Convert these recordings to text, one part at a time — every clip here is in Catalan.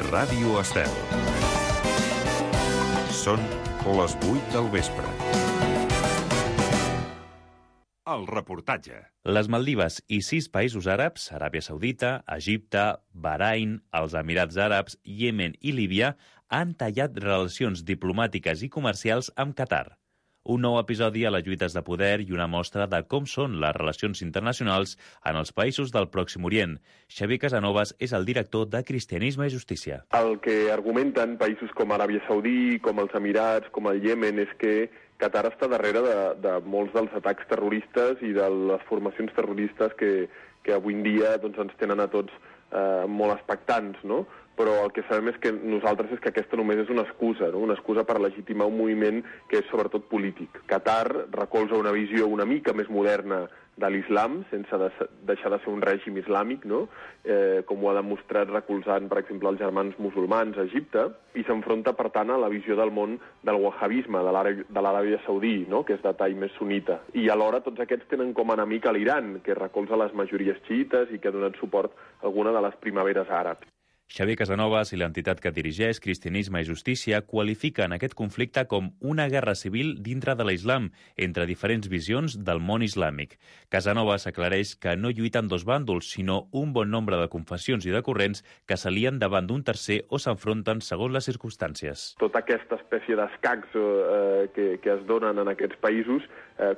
Ràdio Estel. Són les 8 del vespre. El reportatge. Les Maldives i 6 països àrabs, Aràbia Saudita, Egipte, Bahrain, els Emirats Àrabs, Iemen i Líbia, han tallat relacions diplomàtiques i comercials amb Qatar. Un nou episodi a les lluites de poder i una mostra de com són les relacions internacionals en els països del Pròxim Orient. Xavier Casanovas és el director de Cristianisme i Justícia. El que argumenten països com Aràbia Saudí, com els Emirats, com el Iemen, és que Qatar està darrere de molts dels atacs terroristes i de les formacions terroristes que avui en dia doncs, ens tenen a tots molt expectants, no? Però el que sabem és que aquesta només és una excusa, no? Una excusa per legitimar un moviment que és sobretot polític. Qatar recolza una visió una mica més moderna de l'islam, sense deixar de ser un règim islàmic, no? Com ho ha demostrat recolzant, per exemple, els germans musulmans a Egipte, i s'enfronta, per tant, a la visió del món del wahhabisme, de l'Aràbia Saudí, no? Que és de tall més sunita. I alhora tots aquests tenen com a enemic a l'Iran, que recolza les majories xiites i que ha donat suport a alguna de les primaveres àrabs. Xavier Casanovas i l'entitat que dirigeix, Cristianisme i Justícia, qualifiquen aquest conflicte com una guerra civil dintre de l'islam, entre diferents visions del món islàmic. Casanovas aclareix que no lluiten dos bàndols, sinó un bon nombre de confessions i de corrents que s'alien davant d'un tercer o s'enfronten segons les circumstàncies. Tota aquesta espècie d'escacs que es donen en aquests països,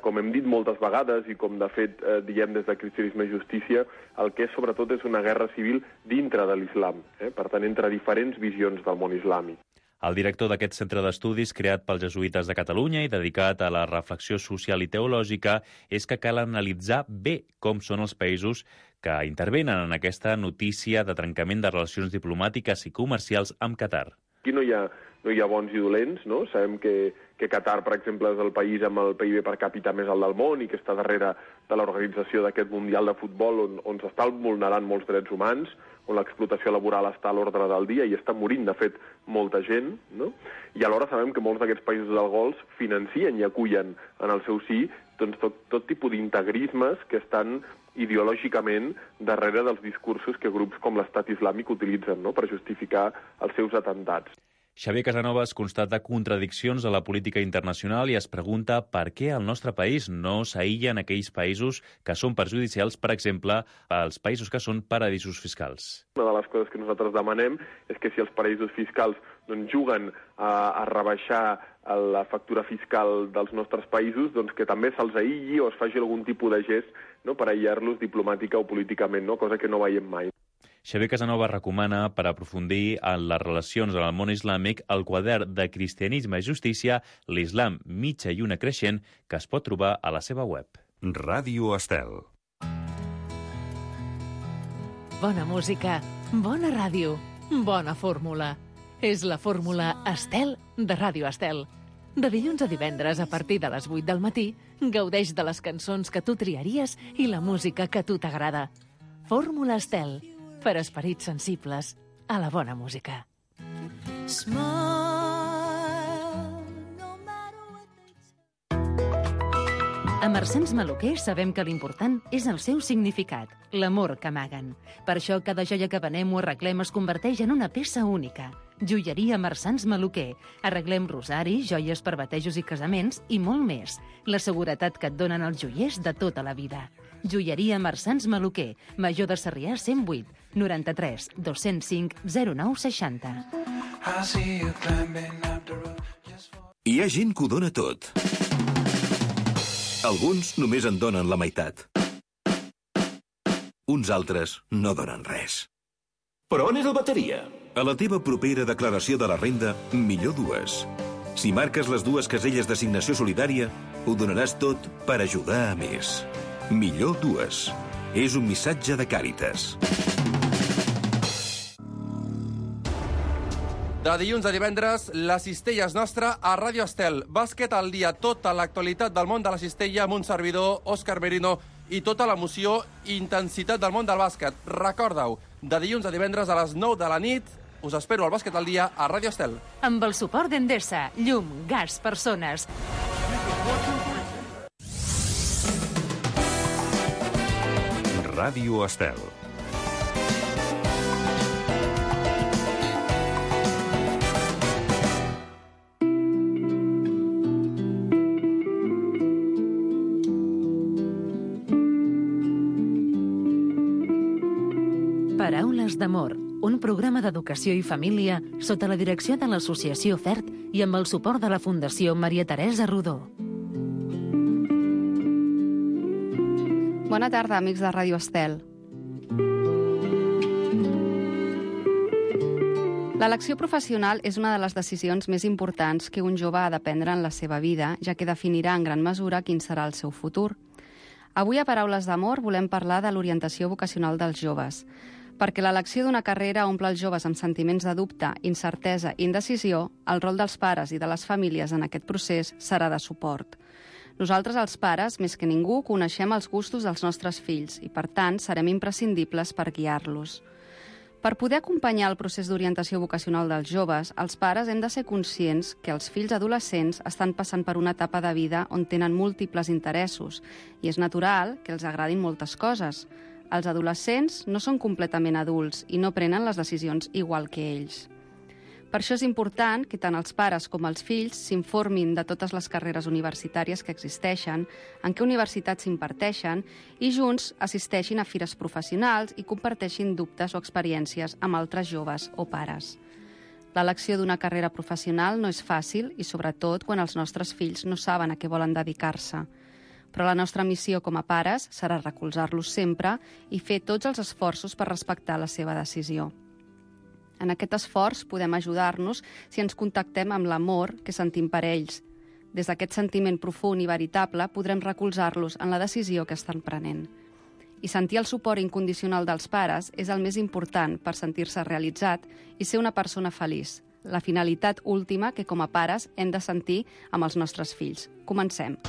com hem dit moltes vegades i com de fet diem des de Cristianisme i Justícia, el que és sobretot és una guerra civil dintre de l'islam. Per tant, entre diferents visions del món islàmic. El director d'aquest centre d'estudis, creat pels jesuïtes de Catalunya i dedicat a la reflexió social i teològica, és que cal analitzar bé com són els països que intervenen en aquesta notícia de trencament de relacions diplomàtiques i comercials amb Qatar. Aquí no hi ha bons i dolents, no? Sabem que Qatar, per exemple, és el país amb el PIB per càpita més alt del món i que està darrere de l'organització d'aquest Mundial de Futbol on s'estan vulnerant molts drets humans, on l'explotació laboral està a l'ordre del dia i està morint, de fet, molta gent, no? I alhora sabem que molts d'aquests països del Golf financien i acullen en el seu si doncs, tot tipus d'integrismes que estan ideològicament darrere dels discursos que grups com l'Estat Islàmic utilitzen, no?, per justificar els seus atentats. Xavier Casanovas constata contradiccions a la política internacional i es pregunta per què el nostre país no s'aïlla en aquells països que són perjudicials, per exemple, als països que són paradisos fiscals. Una de les coses que nosaltres demanem és que si els paradisos fiscals doncs, juguen a rebaixar la factura fiscal dels nostres països, doncs que també se'ls aïlli o es faci algun tipus de gest, no?, per aïllar-los diplomàtica o políticament, no?, cosa que no veiem mai. Xavier Casanovas recomana, per aprofundir en les relacions en el món islàmic, el quadern de Cristianisme i Justícia, l'Islam mitja i una creixent, que es pot trobar a la seva web. Ràdio Estel. Bona música, bona ràdio, bona fórmula. És la fórmula Estel de Ràdio Estel. De dilluns a divendres, a partir de les 8 del matí, gaudeix de les cançons que tu triaries i la música que a tu t'agrada. Fórmula Estel, per esperits sensibles a la bona música. A Marsans Maluquer sabem que l'important és el seu significat, l'amor que amaguen. Per això cada joia que venem o arreglem es converteix en una peça única. Joieria Marsans Maluquer. Arreglem rosari, joies per batejos i casaments i molt més. La seguretat que et donen els joiers de tota la vida. Joieria Marsans Maluquer, Major de Sarrià 108, 93 205 09 60. Hi ha gent que ho dona tot. Alguns només en donen la meitat. Uns altres no donen res. Però on és el bateria? A la teva propera declaració de la renda, millor dues. Si marques les dues caselles d'assignació solidària, ho donaràs tot per ajudar a més. Millor dues. És un missatge de Càritas. De dilluns a divendres, la cistella és nostra a Ràdio Estel. Bàsquet al dia, tota l'actualitat del món de la cistella amb un servidor, Òscar Merino, i tota l'emoció i intensitat del món del bàsquet. Recorda-ho, de dilluns a divendres a les 9 de la nit, us espero al Bàsquet al dia a Ràdio Estel. Amb el suport d'Endesa, llum, gas, persones. Ràdio Estel. Paraules d'amor, un programa d'educació i família sota la direcció de l'Associació FERT i amb el suport de la Fundació Maria Teresa Rodó. Bona tarda, amics de Ràdio Estel. L'elecció professional és una de les decisions més importants que un jove ha de prendre en la seva vida, ja que definirà en gran mesura quin serà el seu futur. Avui a Paraules d'amor volem parlar de l'orientació vocacional dels joves, perquè l'elecció d'una carrera omple els joves amb sentiments de dubte, incertesa i indecisió, el rol dels pares i de les famílies en aquest procés serà de suport. Nosaltres, els pares, més que ningú, coneixem els gustos dels nostres fills i, per tant, serem imprescindibles per guiar-los. Per poder acompanyar el procés d'orientació vocacional dels joves, els pares hem de ser conscients que els fills adolescents estan passant per una etapa de vida on tenen múltiples interessos i és natural que els agradin moltes coses. Els adolescents no són completament adults i no prenen les decisions igual que ells. Per això és important que tant els pares com els fills s'informin de totes les carreres universitàries que existeixen, en què universitats s'imparteixen i junts assisteixin a fires professionals i comparteixin dubtes o experiències amb altres joves o pares. L'elecció d'una carrera professional no és fàcil i sobretot quan els nostres fills no saben a què volen dedicar-se. Però la nostra missió com a pares serà recolzar-los sempre i fer tots els esforços per respectar la seva decisió. En aquest esforç podem ajudar-nos si ens contactem amb l'amor que sentim per ells. Des d'aquest sentiment profund i veritable podrem recolzar-los en la decisió que estan prenent. I sentir el suport incondicional dels pares és el més important per sentir-se realitzat i ser una persona feliç, la finalitat última que com a pares hem de sentir amb els nostres fills. Comencem.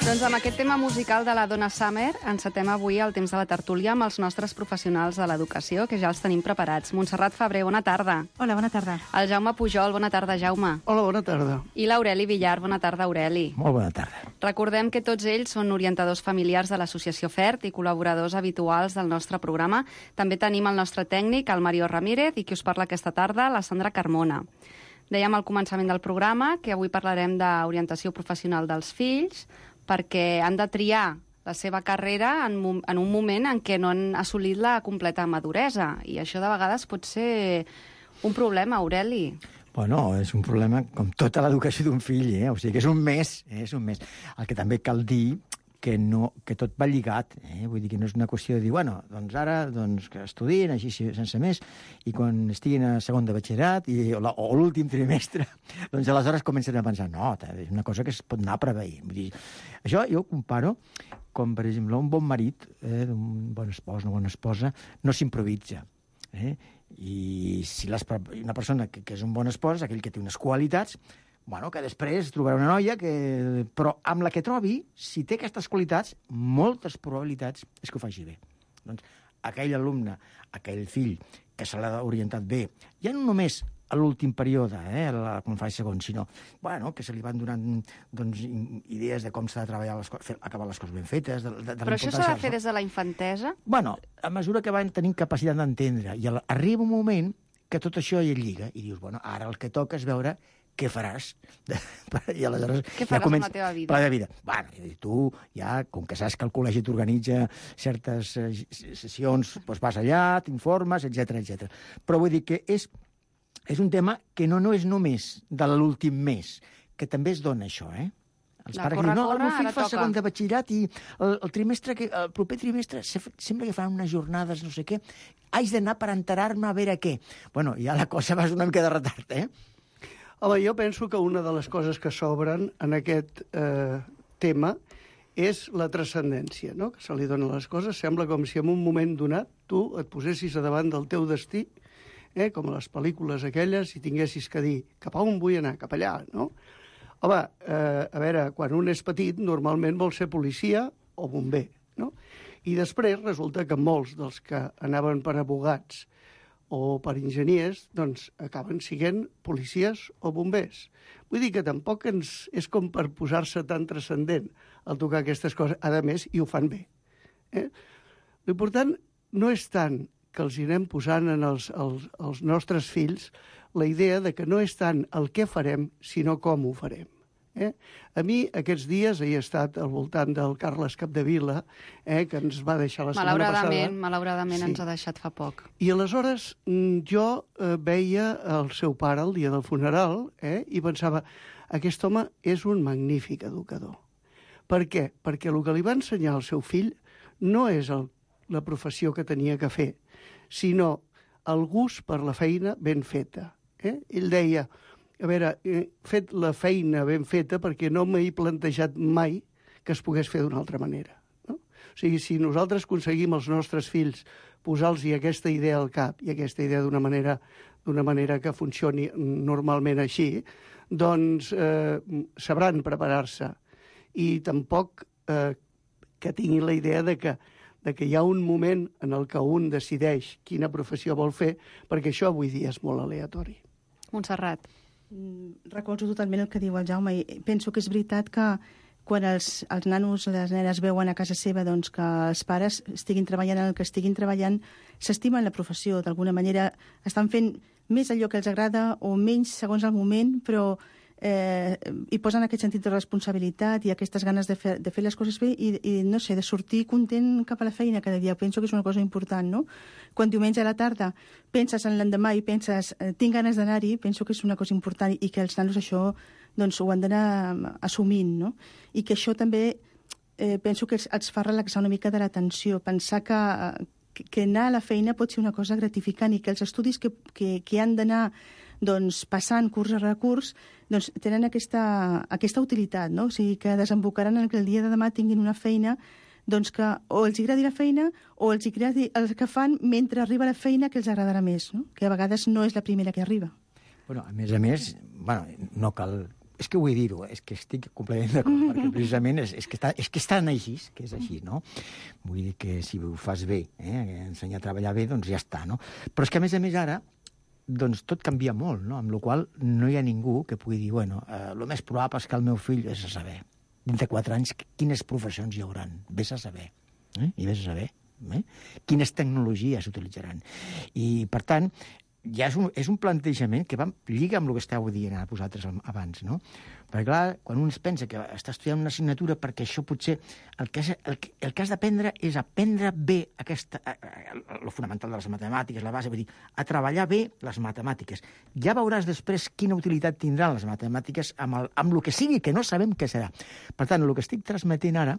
Doncs amb aquest tema musical de la Donna Summer encetem avui el temps de la tertúlia amb els nostres professionals de l'educació, que ja els tenim preparats. Montserrat Febrer, bona tarda. Hola, bona tarda. El Jaume Pujol, bona tarda, Jaume. Hola, bona tarda. I l'Aureli Villar, bona tarda, Aureli. Molt bona tarda. Recordem que tots ells són orientadors familiars de l'Associació FERT i col·laboradors habituals del nostre programa. També tenim el nostre tècnic, el Mario Ramírez, i qui us parla aquesta tarda, la Sandra Carmona. Dèiem al començament del programa que avui parlarem d'orientació professional dels fills, perquè han de triar la seva carrera en un moment en què no han assolit la completa maduresa. I això de vegades pot ser un problema, Aureli. Bueno, és un problema com tota l'educació d'un fill, O sigui que és un mes, és un mes. El que també cal dir que tot va lligat, Vull dir que no és una qüestió de dir, bueno, doncs ara que estudien així sense més i quan estiguin a segon de batxillerat o l'últim trimestre, doncs aleshores comencen a pensar, no, és una cosa que es pot anar a preveir. Vull dir, això jo ho comparo com, per exemple, un bon marit, un bon espòs, una bona esposa, no s'improvisa. I si una persona que és un bon espòs, aquell que té unes qualitats, bueno, que després trobarà una noia però amb la que trobi, si té aquestes qualitats, moltes probabilitats és que ho faci bé. Doncs aquell alumne, aquell fill que se l'ha orientat bé, ja no només a l'últim període, quan fa el segon, sinó que se li van donant idees de com s'ha de treballar, acabar les coses ben fetes. Però això s'ha de fer des de la infantesa? A mesura que van tenint capacitat d'entendre, i arriba un moment que tot això hi lliga, i dius, ara el que toca és veure què faràs. I aleshores què faràs amb la teva vida? La teva vida. Tu, ja, com que saps que el col·legi t'organitza certes sessions, doncs vas allà, t'informes, etc. Però vull dir que és un tema que no és només de l'últim mes, que també es dona això, Els pares diuen, el meu fill fa segon de batxillerat i el proper trimestre sembla que fan unes jornades, no sé què, haig d'anar per enterar-me a veure què. Bueno, ja la cosa va una mica de retard, Home, jo penso que una de les coses que s'obren en aquest tema és la transcendència, no?, que se li dona a les coses. Sembla com si en un moment donat tu et posessis a davant del teu destí, com a les pel·lícules aquelles, i tinguessis que dir cap a on vull anar, cap allà, no? Home, a veure, quan un és petit, normalment vol ser policia o bomber, no? I després resulta que molts dels que anaven per abogats o per enginyers, doncs acaben sent policies o bombers. Vull dir que tampoc és com per posar-se tan transcendent al tocar aquestes coses. A més, i ho fan bé. L'important no és tant que els anem posant als nostres fills la idea de que no és tant el què farem, sinó com ho farem. A mi, aquests dies, he estat al voltant del Carles Capdevila, que ens va deixar la setmana passada. Malauradament ens ha deixat fa poc. I aleshores jo veia el seu pare el dia del funeral i pensava, aquest home és un magnífic educador. Per què? Perquè el que li va ensenyar al seu fill no és la professió que tenia que fer, sinó el gust per la feina ben feta. Ell deia, a veure, he fet la feina ben feta perquè no m'he plantejat mai que es pogués fer d'una altra manera. No? O sigui, si nosaltres aconseguim als nostres fills posar-los aquesta idea al cap i aquesta idea d'una manera que funcioni normalment així, doncs sabran preparar-se. I tampoc que tinguin la idea de que hi ha un moment en el que un decideix quina professió vol fer, perquè això avui dia és molt aleatori. Montserrat. Recolzo totalment el que diu el Jaume i penso que és veritat que quan els nanos, les nenes veuen a casa seva doncs, que els pares estiguin treballant en el que estiguin treballant, s'estimen la professió, d'alguna manera estan fent més allò que els agrada o menys segons el moment, però hi posen aquest sentit de responsabilitat i aquestes ganes de fer les coses bé i no sé, de sortir content cap a la feina cada dia. Penso que és una cosa important, no? Quan diumenge a la tarda penses en l'endemà i penses tinc ganes d'anar-hi, penso que és una cosa important i que els nanos això doncs, ho han d'anar assumint, no? I que això també penso que els fa relaxar una mica de la tensió, pensar que anar a la feina pot ser una cosa gratificant i que els estudis que han d'anar doncs, passant curs a recurs doncs, tenen aquesta utilitat, no? O sigui, que desembocaran en que el dia de demà tinguin una feina doncs, que o els agradi la feina o els agradi el que fan mentre arriba la feina que els agradarà més, no? Que a vegades no és la primera que arriba. Bueno, a més, no cal... És que vull dir-ho, és que estic completament d'acord, perquè precisament és que estan així, que és així, no? Vull dir que si ho fas bé, ensenyar a treballar bé, doncs ja està, no? Però és que a més ara, doncs tot canvia molt, no? Amb la qual no hi ha ningú que pugui dir, bueno, el més probable és que el meu fill, vés a saber, dintre 4 anys, quines professions hi hauran, vés a saber, i vés a saber, quines tecnologies s'utilitzaran. I, per tant, ja és un plantejament que lliga amb el que esteu dient a vosaltres abans, no? Perquè, clar, quan un es pensa que està estudiant una assignatura perquè això potser el que has d'aprendre és aprendre bé el fonamental de les matemàtiques, la base, vull dir, a treballar bé les matemàtiques. Ja veuràs després quina utilitat tindran les matemàtiques amb el que sigui, que no sabem què serà. Per tant, el que estic transmetent ara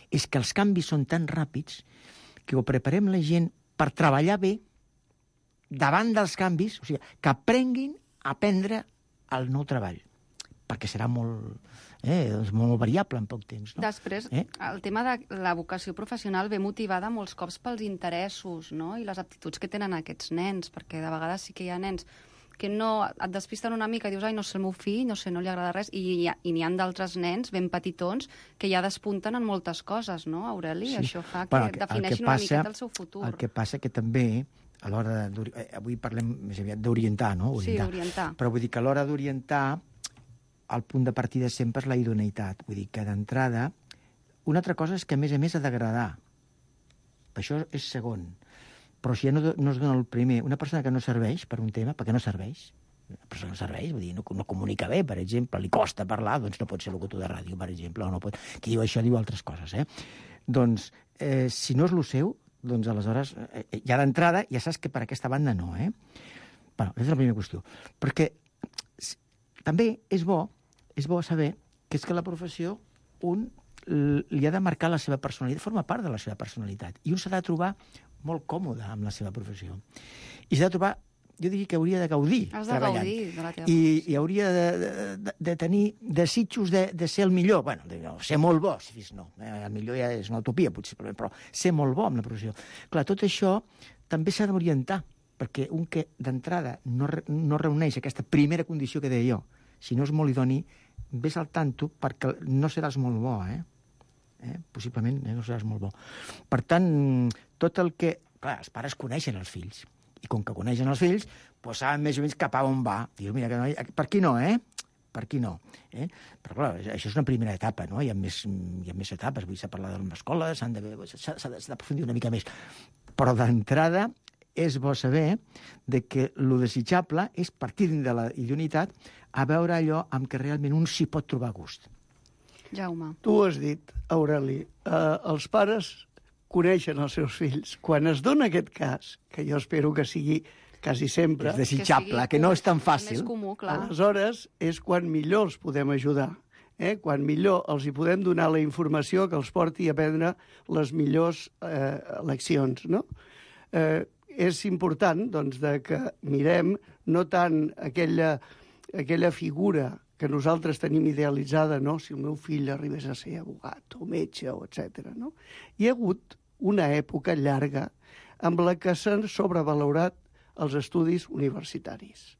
és que els canvis són tan ràpids que ho preparem la gent per treballar bé davant dels canvis, o sigui, que aprenguin a aprendre el nou treball. perquè serà molt variable en poc temps. No? Després, el tema de la vocació professional ve motivada molts cops pels interessos, no?, i les aptituds que tenen aquests nens, perquè de vegades sí que hi ha nens que no et despisten una mica i dius, ai, no sé, el meu fill, no sé, no li agrada res, i n'hi ha d'altres nens ben petitons que ja despunten en moltes coses, no, Aureli? Sí. Això fa que defineixin una miqueta el seu futur. El que passa que també, a l'hora avui parlem més aviat d'orientar, no? Sí, orientar. Però vull dir que a l'hora d'orientar, el punt de partida sempre és la idoneïtat. Vull dir que d'entrada, una altra cosa és que a més ha d'agradar. Això és segon. Però si ja no es dona el primer, una persona que no serveix per un tema, perquè no serveix, una persona que no serveix, vull dir, no comunica bé, per exemple, li costa parlar, doncs no pot ser locutor de ràdio, per exemple, o no pot... Qui diu això diu altres coses, Doncs, si no és el seu, doncs aleshores, ja d'entrada, ja saps que per aquesta banda no, Bueno, aquesta és la primera qüestió. Perquè també és bo saber que és que la professió li ha de marcar la seva personalitat, forma part de la seva personalitat, i un s'ha de trobar molt còmode amb la seva professió. I s'ha de trobar, jo diria que hauria de gaudir treballant. Has de gaudir de la teva professió. I hauria de tenir desitjos de ser el millor. Bueno, ser molt bo, si fes no. El millor ja és una utopia, potser, però ser molt bo amb la professió. Clar, tot això també s'ha d'orientar, perquè un que d'entrada no reuneix aquesta primera condició que deia jo, si no és molt idoni, ves al tanto perquè no seràs molt bo, possiblement no seràs molt bo. Per tant, tot el que... Clar, els pares coneixen els fills, i com que coneixen els fills, doncs saben més o menys cap a on va. Dius, mira, per aquí no, Per aquí no. Però, clar, això és una primera etapa, no? Hi ha més etapes, vull dir, s'ha parlat de l'escola, s'ha d'aprofundir una mica més. Però d'entrada és bo saber que el desitjable és partir de la idoneïtat a veure allò amb què realment un s'hi pot trobar a gust. Jaume. Tu has dit, Aureli, els pares coneixen els seus fills. Quan es dona aquest cas, que jo espero que sigui quasi sempre... És desitjable, que no és tan fàcil. Més comú, clar. Aleshores, és quan millor els podem ajudar. Quan millor els hi podem donar la informació que els porti a prendre les millors leccions, no? És important, doncs, que mirem no tant aquella figura que nosaltres tenim idealitzada, no? Si el meu fill arribés a ser abogat o metge, o etc. No? Hi ha hagut una època llarga amb la que s'han sobrevalorat els estudis universitaris.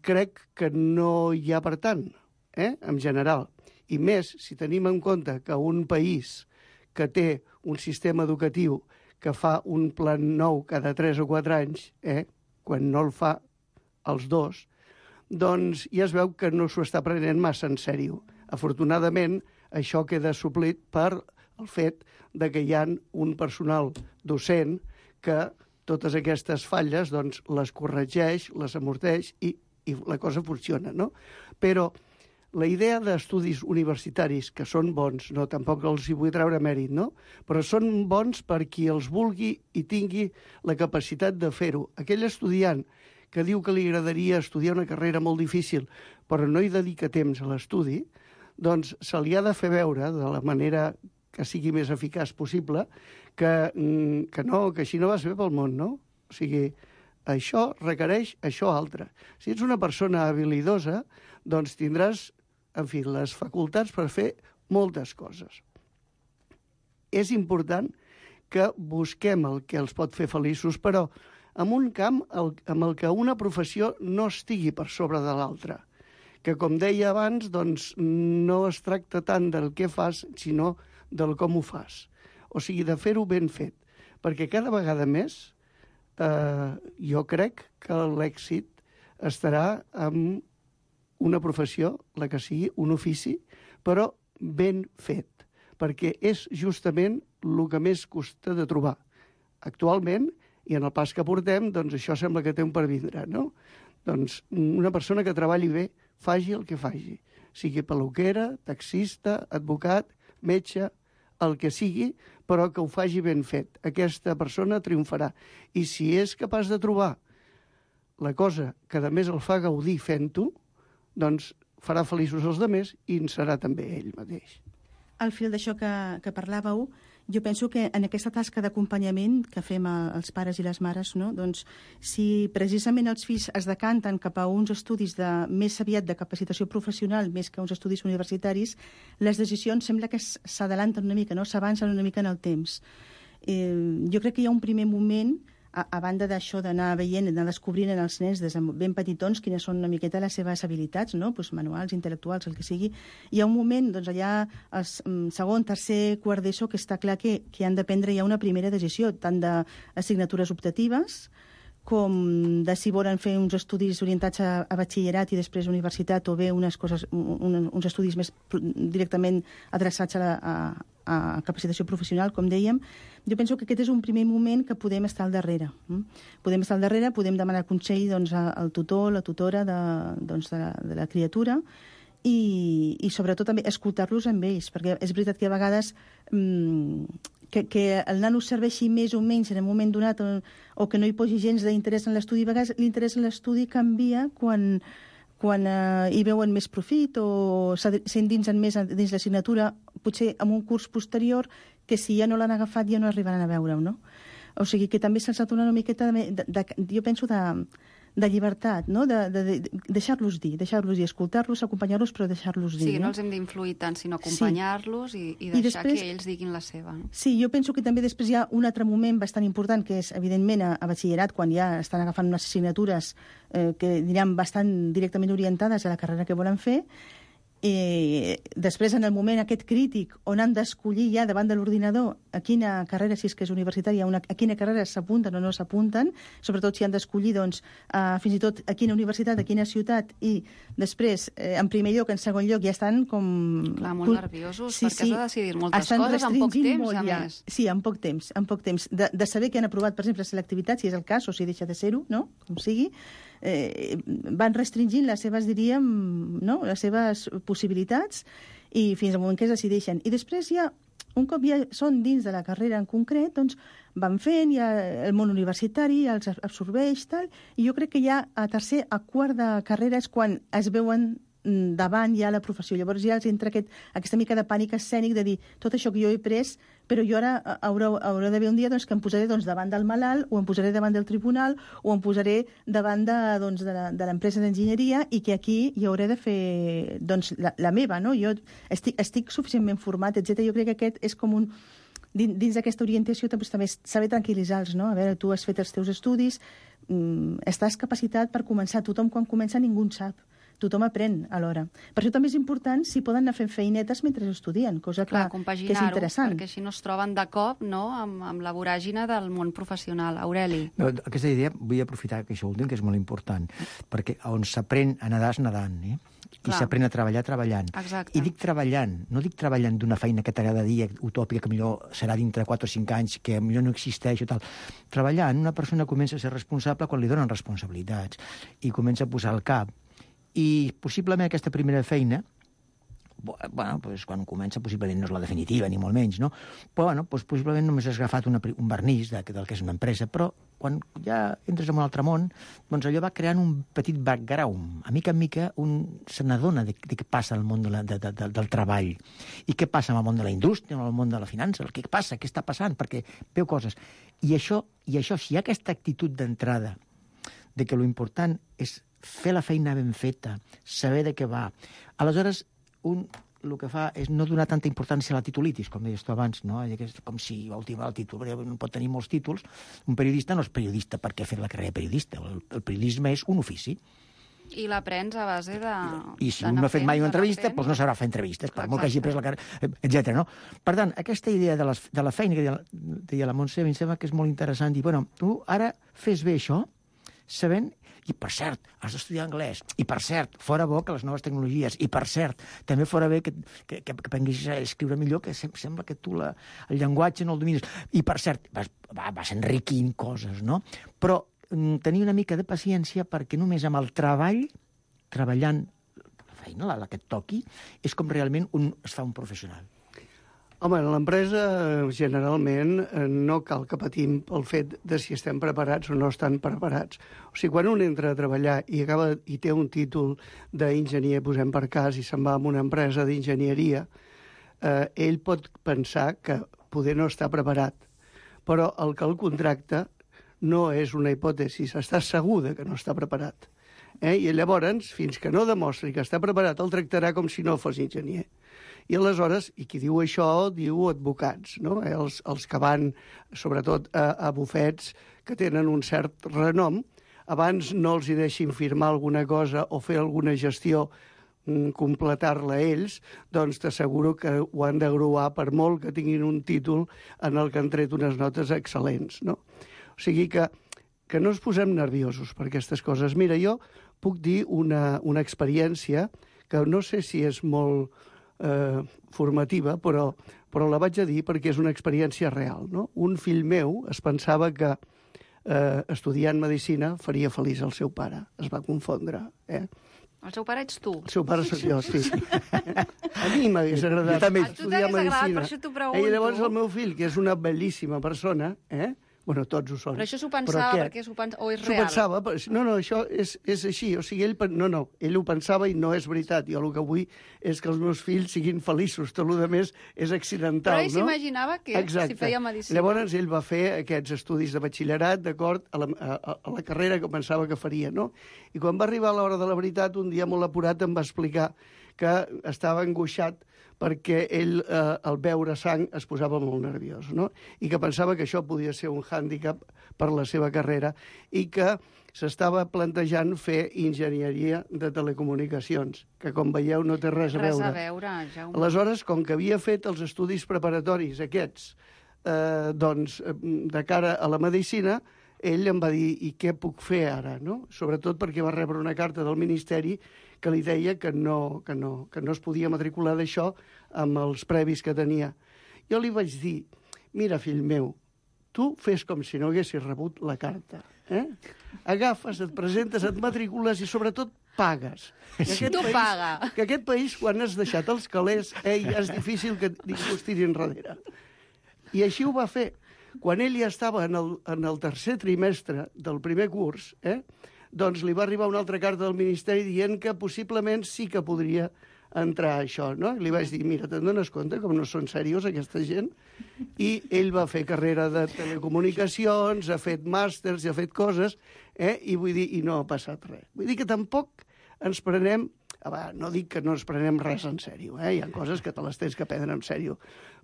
Crec que no hi ha per tant, en general. I més si tenim en compte que un país que té un sistema educatiu que fa un plan nou cada 3 o 4 anys, quan no el fa els dos, doncs ja es veu que no s'ho està prenent massa en sèrio. Afortunadament, això queda suplit per el fet de que hi ha un personal docent que totes aquestes falles doncs, les corregeix, les amorteix i la cosa funciona, no? Però la idea d'estudis universitaris, que són bons, no, tampoc els hi vull treure mèrit, no? Però són bons per qui els vulgui i tingui la capacitat de fer-ho. Aquell estudiant que diu que li agradaria estudiar una carrera molt difícil, però no hi dedica temps a l'estudi, doncs se li ha de fer veure, de la manera que sigui més eficaç possible, que així no vas bé pel món, no? O sigui, això requereix això altre. Si ets una persona habilidosa, doncs tindràs, en fi, les facultats per fer moltes coses. És important que busquem el que els pot fer feliços, però en un camp amb el que una professió no estigui per sobre de l'altra. Que, com deia abans, doncs, no es tracta tant del què fas, sinó del com ho fas. O sigui, de fer-ho ben fet. Perquè cada vegada més jo crec que l'èxit estarà en una professió, la que sigui, un ofici, però ben fet. Perquè és justament el que més costa de trobar. Actualment, i en el pas que portem, doncs això sembla que té un per vindre, no? Doncs una persona que treballi bé, faci el que faci. Sigui peluquera, taxista, advocat, metge, el que sigui, però que ho faci ben fet. Aquesta persona triomfarà. I si és capaç de trobar la cosa que a més el fa gaudir fent-ho, doncs farà feliços els altres i en serà també ell mateix. Al fil d'això que parlàveu, Jo penso que en aquesta tasca d'acompanyament que fem els pares i les mares, no? Doncs, si precisament els fills es decanten cap a uns estudis més aviat de capacitació professional més que uns estudis universitaris, les decisions sembla que s'adalanten una mica, no? S'avancen una mica en el temps. Jo crec que hi ha un primer moment, a banda d'això d'anar veient, d'anar descobrint en els nens des de ben petitons quines són una miqueta les seves habilitats, no? Pues manuals, intel·lectuals, el que sigui. Hi ha un moment, doncs allà, el segon, tercer, quart d'ESO, que està clar que han de prendre ja una primera decisió, tant d'assignatures optatives com de si volen fer uns estudis orientats a batxillerat i després universitat, o bé uns estudis més directament adreçats a capacitació professional, com dèiem. Jo penso que aquest és un primer moment que podem estar al darrere. Podem estar al darrere, podem demanar consell al tutor, la tutora de la criatura, i sobretot també escoltar-los amb ells, perquè és veritat que a vegades que el nano serveixi més o menys en un moment donat o que no hi posi gens d'interès en l'estudi, a vegades l'interès en l'estudi canvia quan hi veuen més profit o s'endinsen més dins l'assignatura, potser en un curs posterior, que si ja no l'han agafat ja no arribaran a veure-ho, no? O sigui que també se'ls ha de donar una miqueta, jo penso, de llibertat, no? De deixar-los dir, escoltar-los, acompanyar-los, però deixar-los dir. Sí, no els hem d'influir tant, sinó acompanyar-los i deixar després, que ells diguin la seva. No? Sí, jo penso que també després hi ha un altre moment bastant important, que és, evidentment, a batxillerat, quan ja estan agafant unes assignatures que diran bastant directament orientades a la carrera que volen fer. Després, en el moment aquest crític on han d'escollir ja davant de l'ordinador a quina carrera, si és que és universitària, a quina carrera s'apunten o no s'apunten, sobretot si han d'escollir fins i tot a quina universitat, a quina ciutat, i després, en primer lloc, en segon lloc, ja estan com... Clar, molt nerviosos, perquè has de decidir moltes coses en poc temps, a més. Sí, en poc temps. De saber que han aprovat, per exemple, selectivitat, si és el cas, o si deixa de ser-ho, no? Com sigui, van restringint les seves, diríem, no? Les seves possibilitats, i fins al moment que es decideixen. I després ja, un cop ja són dins de la carrera en concret, doncs van fent, ja el món universitari els absorbeix, tal, i jo crec que ja a tercer, a quart de carrera és quan es veuen davant ja la professió. Llavors ja els entra aquesta mica de pànic escènic de dir tot això que jo he pres, però jo ara hauré d'haver un dia que em posaré davant del malalt, o em posaré davant del tribunal, o em posaré davant de l'empresa d'enginyeria, i que aquí hi hauré de fer la meva, no? Jo estic suficientment format, etc. Jo crec que aquest és com un... Dins d'aquesta orientació també saber tranquil·litzar-los, no? A veure, tu has fet els teus estudis, estàs capacitat per començar. Tothom, quan comença, ningú en sap. Tothom aprèn alhora. Per això també és important si poden anar fent feinetes mentre estudien, cosa que és interessant. Perquè així no es troben de cop, no?, amb la voràgina del món professional. Aureli. No, aquesta idea vull aprofitar que això últim, que és molt important, perquè on s'aprèn a nedar és nedant, i s'aprèn a treballar treballant. Exacte. I dic treballant, no dic treballant d'una feina que t'agrada dir, utòpica, que millor serà dintre 4 o 5 anys, que millor no existeix o tal. Treballant, una persona comença a ser responsable quan li donen responsabilitats i comença a posar el cap. I possiblement aquesta primera feina, quan comença, possiblement no és la definitiva, ni molt menys, no? Però, possiblement només has agafat un vernís del que és una empresa, però quan ja entres en un altre món, doncs allò va creant un petit background. A mica en mica un se n'adona de què passa al món del treball. I què passa amb el món de la indústria, amb el món de la finança, què passa, què està passant, perquè veu coses. I això, si hi ha aquesta actitud d'entrada de que l'important és fer la feina ben feta, saber de què va. Aleshores, el que fa és no donar tanta importància a la titulitis, com deies tu abans, no? Com si vol dir el títol, no pot tenir molts títols. Un periodista no és periodista perquè ha fet la carrera de periodista. El periodisme és un ofici. I l'aprens a base de... I si un no ha fet mai una entrevista, doncs no sabrà fer entrevistes, per molt que hagi pres la carrera, etc. No? Per tant, aquesta idea de la feina que deia la Montse, em sembla que és molt interessant. Dir, tu ara fes bé això, sabent... I, per cert, has d'estudiar anglès. I, per cert, fora bo que les noves tecnologies. I, per cert, també fora bé que aprenguis a escriure millor, que sembla que tu el llenguatge no el domines. I, per cert, vas enriquint coses, no? Però tenir una mica de paciència perquè només amb el treball, treballant la feina, la que et toqui, és com realment es fa un professional. Home, en l'empresa, generalment, no cal que patim pel fet de si estem preparats o no estan preparats. O sigui, quan un entra a treballar i té un títol d'enginyer, posem per cas, i se'n va a una empresa d'enginyeria, ell pot pensar que poder no està preparat. Però el que el contracta no és una hipòtesi, està segur que no està preparat. I llavors, fins que no demostri que està preparat, el tractarà com si no fos enginyer. I aleshores, i qui diu això, diu advocats, no? Els que van, sobretot, a bufets que tenen un cert renom, abans no els hi deixin firmar alguna cosa o fer alguna gestió, completar-la ells, doncs t'asseguro que ho han de gruar per molt que tinguin un títol en el que han tret unes notes excel·lents, no? O sigui que no ens posem nerviosos per aquestes coses. Mira, jo puc dir una experiència que no sé si és molt formativa, però la vaig a dir perquè és una experiència real, no? Un fill meu es pensava que estudiant medicina faria feliç el seu pare. Es va confondre, El seu pare ets tu. El seu pare sóc jo, sí. A mi m'hagués agradat estudiar medicina. Per això t'ho pregunto. I llavors el meu fill, que és una bel·líssima persona, bueno, tots ho són. Però això s'ho pensava perquè o és real? S'ho pensava, no, això és així. O sigui, ell ho pensava i no és veritat. Jo el que vull és que els meus fills siguin feliços. Tot el més és accidental, no? Però ell s'imaginava que si feia medicina. Llavors ell va fer aquests estudis de batxillerat, d'acord, a la carrera que pensava que faria, no? I quan va arribar a l'hora de la veritat, un dia molt apurat em va explicar que estava angoixat perquè ell, al veure sang, es posava molt nerviós, no? I que pensava que això podia ser un hàndicap per la seva carrera i que s'estava plantejant fer enginyeria de telecomunicacions, que, com veieu, no té res a veure. Res a veure, Jaume. Aleshores, com que havia fet els estudis preparatoris aquests, doncs, de cara a la medicina, ell em va dir, i què puc fer ara, no? Sobretot perquè va rebre una carta del Ministeri que li deia que no es podia matricular d'això amb els previs que tenia. Jo li vaig dir, mira, fill meu, tu fes com si no haguessis rebut la carta. Agafes, et presentes, et matricules i sobretot pagues. Que aquest país, quan has deixat els calés, ja és difícil que ningú es tiri enrere. I així ho va fer. Quan ell ja estava en el tercer trimestre del primer curs, doncs li va arribar una altra carta del Ministeri dient que possiblement sí que podria entrar a això, no? Li vaig dir, mira, te'n dones compte com no són serios aquesta gent? I ell va fer carrera de telecomunicacions, ha fet màsters, ha fet coses, i vull dir, i no ha passat res. Vull dir que tampoc ens prenem, no dic que no ens prenem res en sèrio, hi ha coses que te les tens que prendre en sèrio,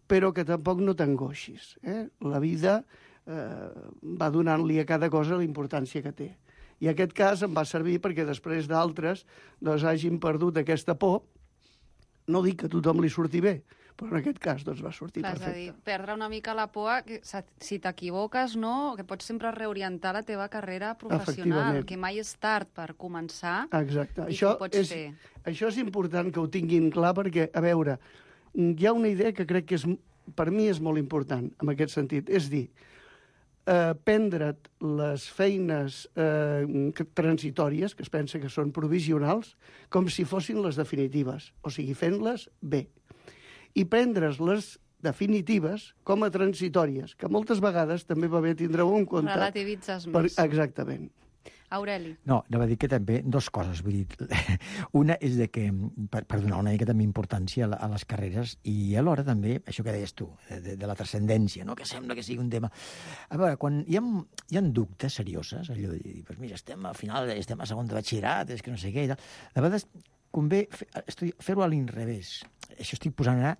però que tampoc no t'angoixis. La vida va donant-li a cada cosa la importància que té. I aquest cas em va servir perquè després d'altres doncs, hagin perdut aquesta por. No dic que a tothom li surti bé, però en aquest cas doncs, va sortir perfecte. És a dir, perdre una mica la por, que si t'equivoques, no, que pots sempre reorientar la teva carrera professional, que mai és tard per començar. Exacte. I que ho pots fer. Això és important que ho tinguin clar perquè, a veure, hi ha una idea que crec que per mi és molt important en aquest sentit. És dir, prendre't les feines transitòries, que es pensa que són provisionals, com si fossin les definitives, o sigui, fent-les bé. I prendre's les definitives com a transitòries, que moltes vegades també va bé tindre-ho en compte. Relativitzes més. Exactament. Aureli. No, anava a dir que també dos coses. Vull dir, una és de que, per donar una mica també importància a les carreres i alhora també, això que deies tu, de la transcendència, no? Que sembla que sigui un tema... A veure, quan hi ha dubtes serioses, allò de dir, pues mira, estem al final, estem a segon de batxillerat, és que no sé què, i tal. De vegades convé fer-ho a l'inrevés. Això estic posant ara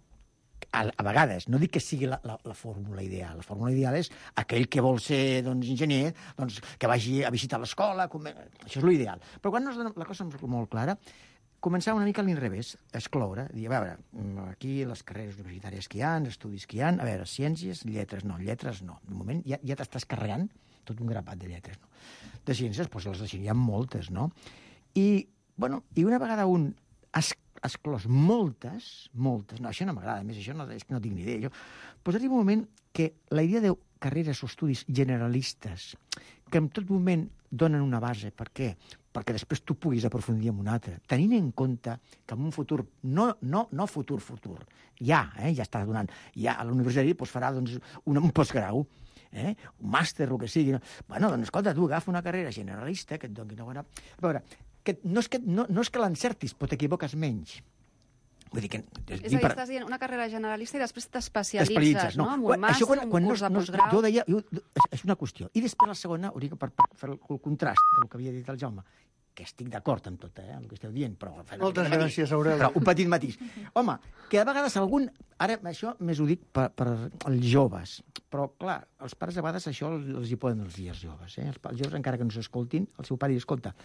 a vegades, no dic que sigui la fórmula ideal. La fórmula ideal és aquell que vol ser enginyer, que vagi a visitar l'escola, això és l'ideal. Però quan la cosa és molt clara, començar una mica a l'inrevés, excloure, dir, a veure, aquí les carreres universitàries que hi ha, els estudis que hi ha, a veure, ciències, lletres no. De moment ja t'estàs carregant tot un grapat de lletres, no? De ciències, doncs les de ciències hi ha moltes, no? I una vegada un exclòs moltes, no, això no m'agrada, més això és que no tinc ni idea. Doncs arriba un moment que la idea de carreres o estudis generalistes, que en tot moment donen una base, per què? Perquè després tu puguis aprofundir en una altra, tenint en compte que en un futur, no futur, ja està donant, ja a la universitat farà un postgrau, un màster, el que sigui. Bueno, doncs escolta, tu agafa una carrera generalista que et doni una bona... A veure, no és que l'encertis, però t'equivoques menys. Vull dir que... És a dir, estàs dient una carrera generalista i després t'especialitzes, no? En un màster, un curs de postgrau... Jo deia, és una qüestió. I després la segona, per fer el contrast del que havia dit el Jaume, que estic d'acord amb tot, amb el que esteu dient, però... Moltes gràcies, Aureli. Però un petit matís. Home, que a vegades algun... Ara, això més ho dic per als joves, però, clar, els pares a vegades això els hi poden els dies joves, Els joves, encara que no s'escoltin, el seu pare hi escolta,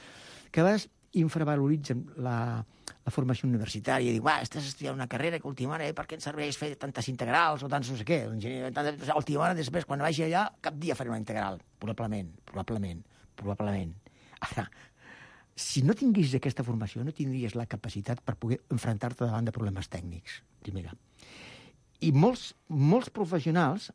que a vegades infravaloritzen la formació universitària i diu, estàs estudiant una carrera que última hora, per què ens serveix fer tantes integrals o tants no sé què? Última hora, després, quan vagi allà, cap dia faré una integral. Probablement. Ara, si no tinguis aquesta formació, no tindries la capacitat per poder enfrontar-te davant de problemes tècnics, primera. I molts professionals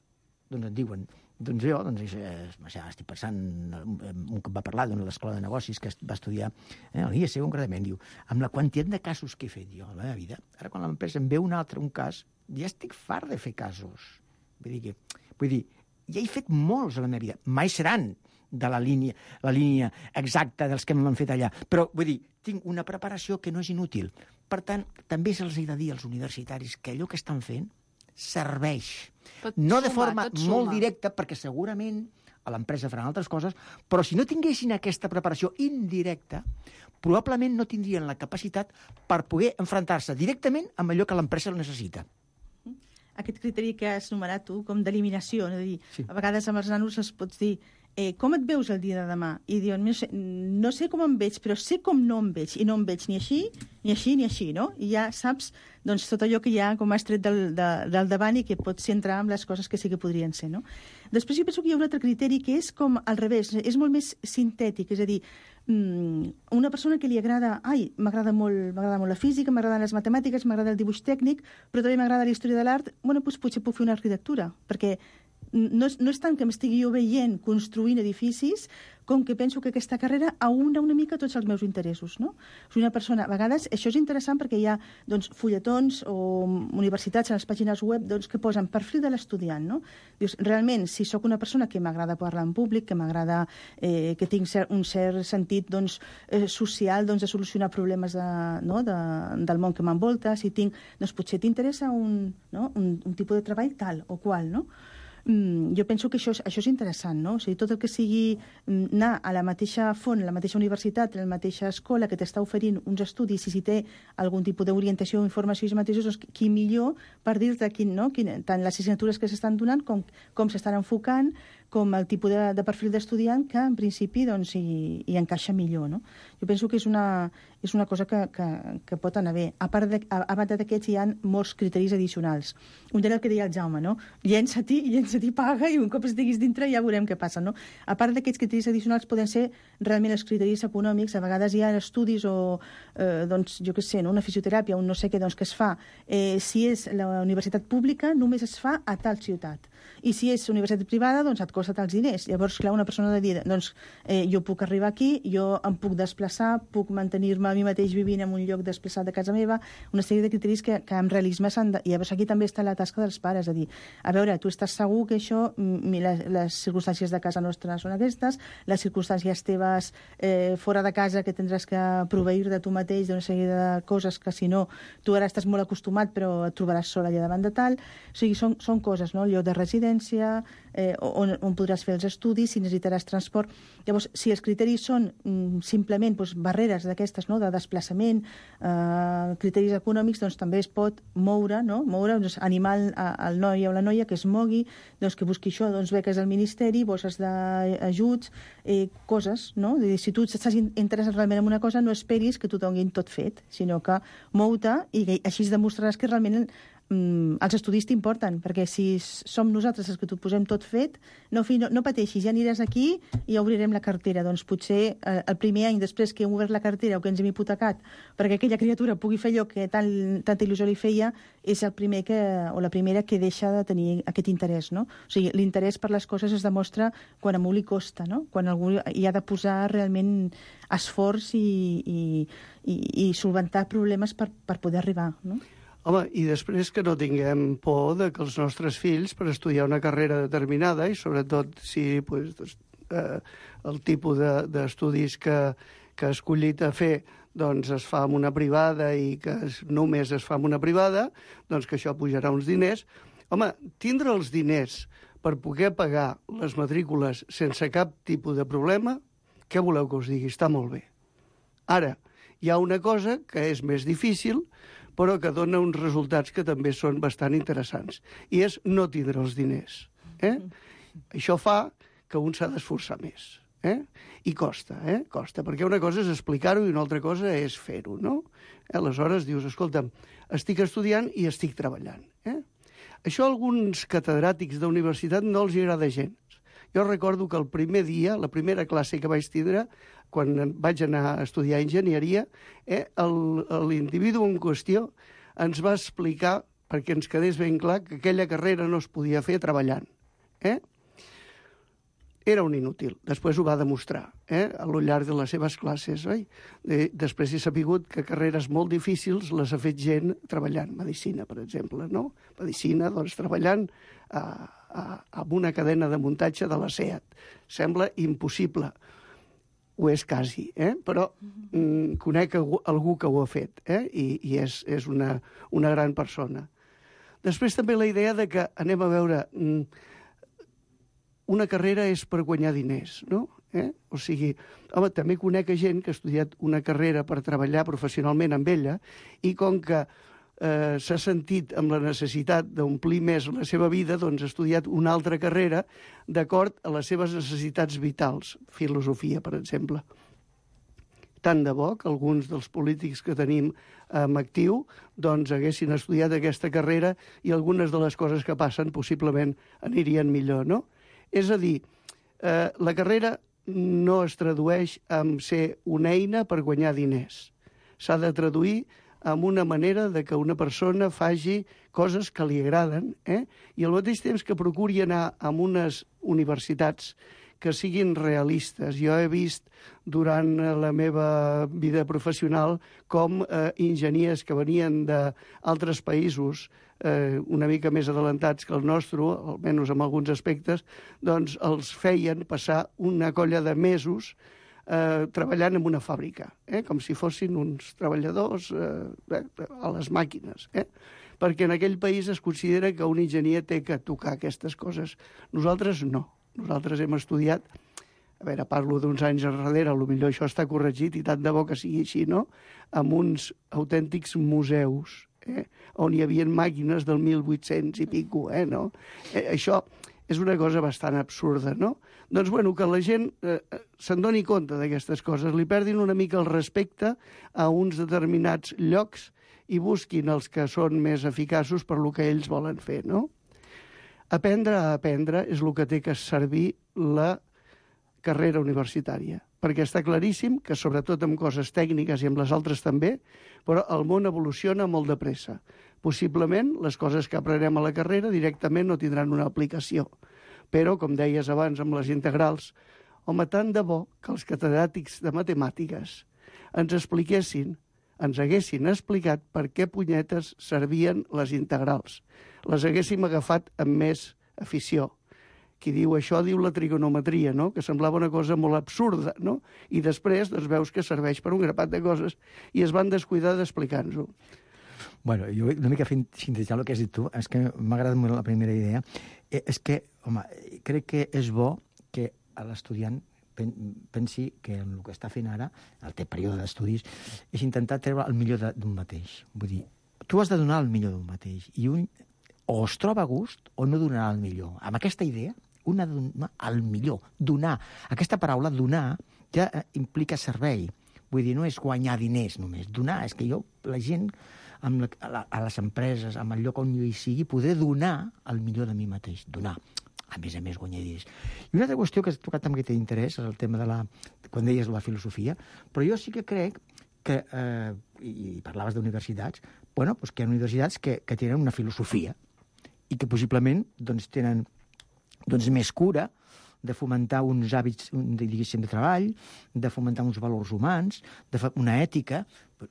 doncs et diuen, estic pensant, un cop va parlar d'una escola de negocis que va estudiar a l'IEC concretament, diu, amb la quantitat de casos que he fet jo a la meva vida, ara quan l'empresa em ve un cas, ja estic fart de fer casos. Vull dir, ja he fet molts a la meva vida, mai seran de la línia exacta dels que m'han fet allà, però vull dir, tinc una preparació que no és inútil. Per tant, també se'ls ha de dir als universitaris que allò que estan fent serveix. No de forma molt directa, perquè segurament a l'empresa faran altres coses, però si no tinguessin aquesta preparació indirecta, probablement no tindrien la capacitat per poder enfrontar-se directament amb allò que l'empresa necessita. Aquest criteri que has enumerat tu, com d'eliminació, a vegades amb els nanos els pots dir com et veus el dia de demà? I diuen, no sé com em veig, però sé com no em veig, i no em veig ni així, ni així, ni així, no? I ja saps tot allò que ja com has tret del davant i que pots centrar en les coses que sí que podrien ser, no? Després jo penso que hi ha un altre criteri que és com al revés, és molt més sintètic, és a dir, una persona que li agrada, m'agrada molt la física, m'agraden les matemàtiques, m'agrada el dibuix tècnic, però també m'agrada la història de l'art, doncs potser puc fer una arquitectura, perquè no és tant que m'estigui jo veient construint edificis com que penso que aquesta carrera aúna una mica tots els meus interessos, no? O sigui, una persona, a vegades, això és interessant perquè hi ha fulletons o universitats en les pàgines web que posen perfil de l'estudiant, no? Dius, realment, si sóc una persona que m'agrada parlar en públic, que m'agrada, que tinc un cert sentit social de solucionar problemes del món que m'envolta, si tinc, potser t'interessa un tipus de treball tal o qual, no? Jo penso que això és interessant, no? O sigui, tot el que sigui anar a la mateixa font, a la mateixa universitat, a la mateixa escola que t'està oferint uns estudis i si té algun tipus d'orientació o informació ells mateixos, doncs qui millor per dir-te tant les assignatures que s'estan donant com s'estan enfocant, com el tipus de perfil d'estudiant que en principi hi encaixa millor, no? Jo penso que és una cosa que pot anar bé. A part d'aquests hi ha molts criteris addicionals. Un era el que deia el Jaume, no? Llença-t'hi, paga i un cop estiguis dintre ja veurem què passa, no? A part d'aquests criteris addicionals poden ser realment els criteris econòmics. A vegades hi ha estudis o, jo què sé, una fisioteràpia, un no sé què, que es fa. Si és la universitat pública, només es fa a tal ciutat. I si és universitat privada, et costa tals diners. Llavors, clar, una persona ha de dir, jo puc arribar aquí, jo em puc desplaçar, puc mantenir-me a mi mateix vivint en un lloc desplaçat de casa meva, una sèrie de criteris que amb realisme s'han de... I llavors aquí també està la tasca dels pares, a dir, a veure, tu estàs segur que això, les circumstàncies de casa nostra són aquestes, les circumstàncies teves fora de casa que tindràs que proveir de tu mateix d'una sèrie de coses que, si no, tu ara estàs molt acostumat però et trobaràs sola allà davant de tal. O sigui, són coses, no? El lloc de residència, on podràs fer els estudis, si necessitaràs transport. Llavors, si els criteris són simplement barreres d'aquestes, de desplaçament, criteris econòmics, també es pot moure, animar el noi o la noia que es mogui, que busqui això, beques del Ministeri, bosses d'ajuts, coses, no? Si tu estàs interessat realment en una cosa, no esperis que t'ho donin tot fet, sinó que mou-te i així demostraràs que realment els estudis t'importen, perquè si som nosaltres els que t'ho posem tot fet, no pateixis, ja aniràs aquí i ja obrirem la cartera. Doncs potser el primer any després que hem obert la cartera o que ens hem hipotecat perquè aquella criatura pugui fer allò que tanta il·lusió li feia, és el primer o la primera que deixa de tenir aquest interès, no? O sigui, l'interès per les coses es demostra quan a algú li costa, no? Quan algú hi ha de posar realment esforç i solventar problemes per poder arribar, no? Home, i després que no tinguem por de que els nostres fills, per estudiar una carrera determinada, i sobretot si el tipus d'estudis que que ha escollit a fer doncs es fa en una privada i que només es fa en una privada, doncs que això pujarà uns diners. Home, tindre els diners per poder pagar les matrícules sense cap tipus de problema, què voleu que us digui? Està molt bé. Ara, hi ha una cosa que és més difícil, però que dona uns resultats que també són bastant interessants, i és no tindre els diners. Això fa que un s'ha d'esforçar més. I costa, costa, perquè una cosa és explicar-ho i una altra cosa és fer-ho, no? Aleshores dius, escolta'm, estic estudiant i estic treballant. Això a alguns catedràtics d'universitat no els agrada gens. Jo recordo que el primer dia, la primera classe que vaig tindre, quan vaig anar a estudiar enginyeria, l'individu en qüestió ens va explicar, perquè ens quedés ben clar, que aquella carrera no es podia fer treballant. Era un inútil. Després ho va demostrar, al llarg de les seves classes. Després he sapigut que carreres molt difícils les ha fet gent treballant. Medicina, per exemple, no? Medicina, doncs, treballant amb una cadena de muntatge de la SEAT. Sembla impossible. Ho és quasi, però conec algú que ho ha fet, i és una gran persona. Després també la idea de que, anem a veure, una carrera és per guanyar diners, no? O sigui, home, també conec gent que ha estudiat una carrera per treballar professionalment amb ella i com que s'ha sentit amb la necessitat d'omplir més la seva vida, doncs ha estudiat una altra carrera d'acord a les seves necessitats vitals, filosofia, per exemple. Tant de bo que alguns dels polítics que tenim en actiu doncs haguessin estudiat aquesta carrera i algunes de les coses que passen possiblement anirien millor, no? És a dir, la carrera no es tradueix en ser una eina per guanyar diners. S'ha de traduir en una manera de que una persona faci coses que li agraden, i al mateix temps que procuri anar a unes universitats que siguin realistes. Jo he vist durant la meva vida professional com enginyers que venien d'altres països una mica més adelantats que el nostre, almenys en alguns aspectes, doncs els feien passar una colla de mesos treballant en una fàbrica, com si fossin uns treballadors a les màquines, perquè en aquell país es considera que un enginyer té que tocar aquestes coses. Nosaltres no. Nosaltres hem estudiat, a veure, parlo d'uns anys enrere, potser això està corregit i tant de bo que sigui així, no?, amb uns autèntics museus, on hi havia màquines del 1800 i pico, no? Això és una cosa bastant absurda, no? Doncs, bueno, que la gent se'n doni compte d'aquestes coses, li perdin una mica el respecte a uns determinats llocs i busquin els que són més eficaços per lo que ells volen fer, no? Aprendre a aprendre és el que té que servir la carrera universitària, perquè està claríssim que, sobretot amb coses tècniques i amb les altres també, però el món evoluciona molt de pressa. Possiblement, les coses que aprenem a la carrera directament no tindran una aplicació. Però, com deies abans amb les integrals, home, tant de bo que els catedràtics de matemàtiques ens expliquessin, ens haguessin explicat per què punyetes servien les integrals. Les haguéssim agafat amb més afició. Qui diu això diu la trigonometria, no?, que semblava una cosa molt absurda, no? I després doncs, veus que serveix per un grapat de coses i es van descuidar d'explicar-nos-ho. Bueno, jo una mica sintetitzant el que has dit tu, és que m'ha agradat molt la primera idea, és que, home, crec que és bo que l'estudiant pensi que el que està fent ara, el teu període d'estudis, és intentar treure el millor d'un mateix. Vull dir, tu has de donar el millor d'un mateix, i un o es troba a gust o no donarà el millor. Amb aquesta idea, un ha de donar el millor. Donar. Aquesta paraula, donar, ja implica servei. Vull dir, no és guanyar diners només. Donar és que jo, la gent, a les empreses, amb el lloc on jo hi sigui, poder donar el millor de mi mateix. Donar. A més, guanyar diners. I una altra qüestió que has tocat també que té interès és el tema de quan deies la filosofia, però jo sí que crec que, i parlaves d'universitats, bueno, doncs que hi ha universitats que tenen una filosofia i que possiblement doncs, tenen més cura de fomentar uns hàbits, diguéssim, de treball, de fomentar uns valors humans, una ètica.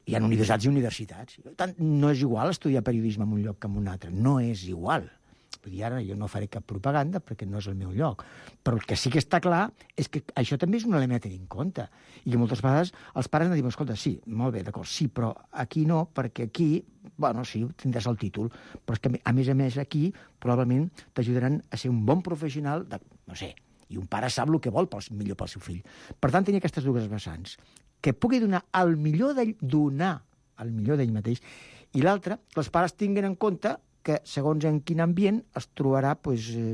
Hi ha universitats i universitats. No és igual estudiar periodisme en un lloc que en un altre. No és igual. Vull dir, ara jo no faré cap propaganda perquè no és el meu lloc. Però el que sí que està clar és que això també és un element a tenir en compte. I que moltes vegades els pares ens diuen, escolta, sí, molt bé, d'acord, sí, però aquí no, perquè aquí, bueno, sí, tindràs el títol, però és que, a més, aquí probablement t'ajudaran a ser un bon professional, no sé, i un pare sap el que vol millor pel seu fill. Per tant, tenir aquestes dues vessants, que pugui donar el millor d'ell mateix, i l'altre, que els pares tinguin en compte que, segons en quin ambient, es trobarà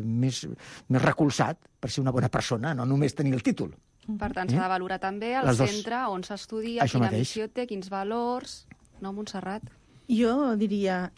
més recolzat per ser una bona persona, no només tenir el títol. Per tant, s'ha de valorar també el centre on s'estudia, quina missió té, quins valors... No, Montserrat? Jo diria,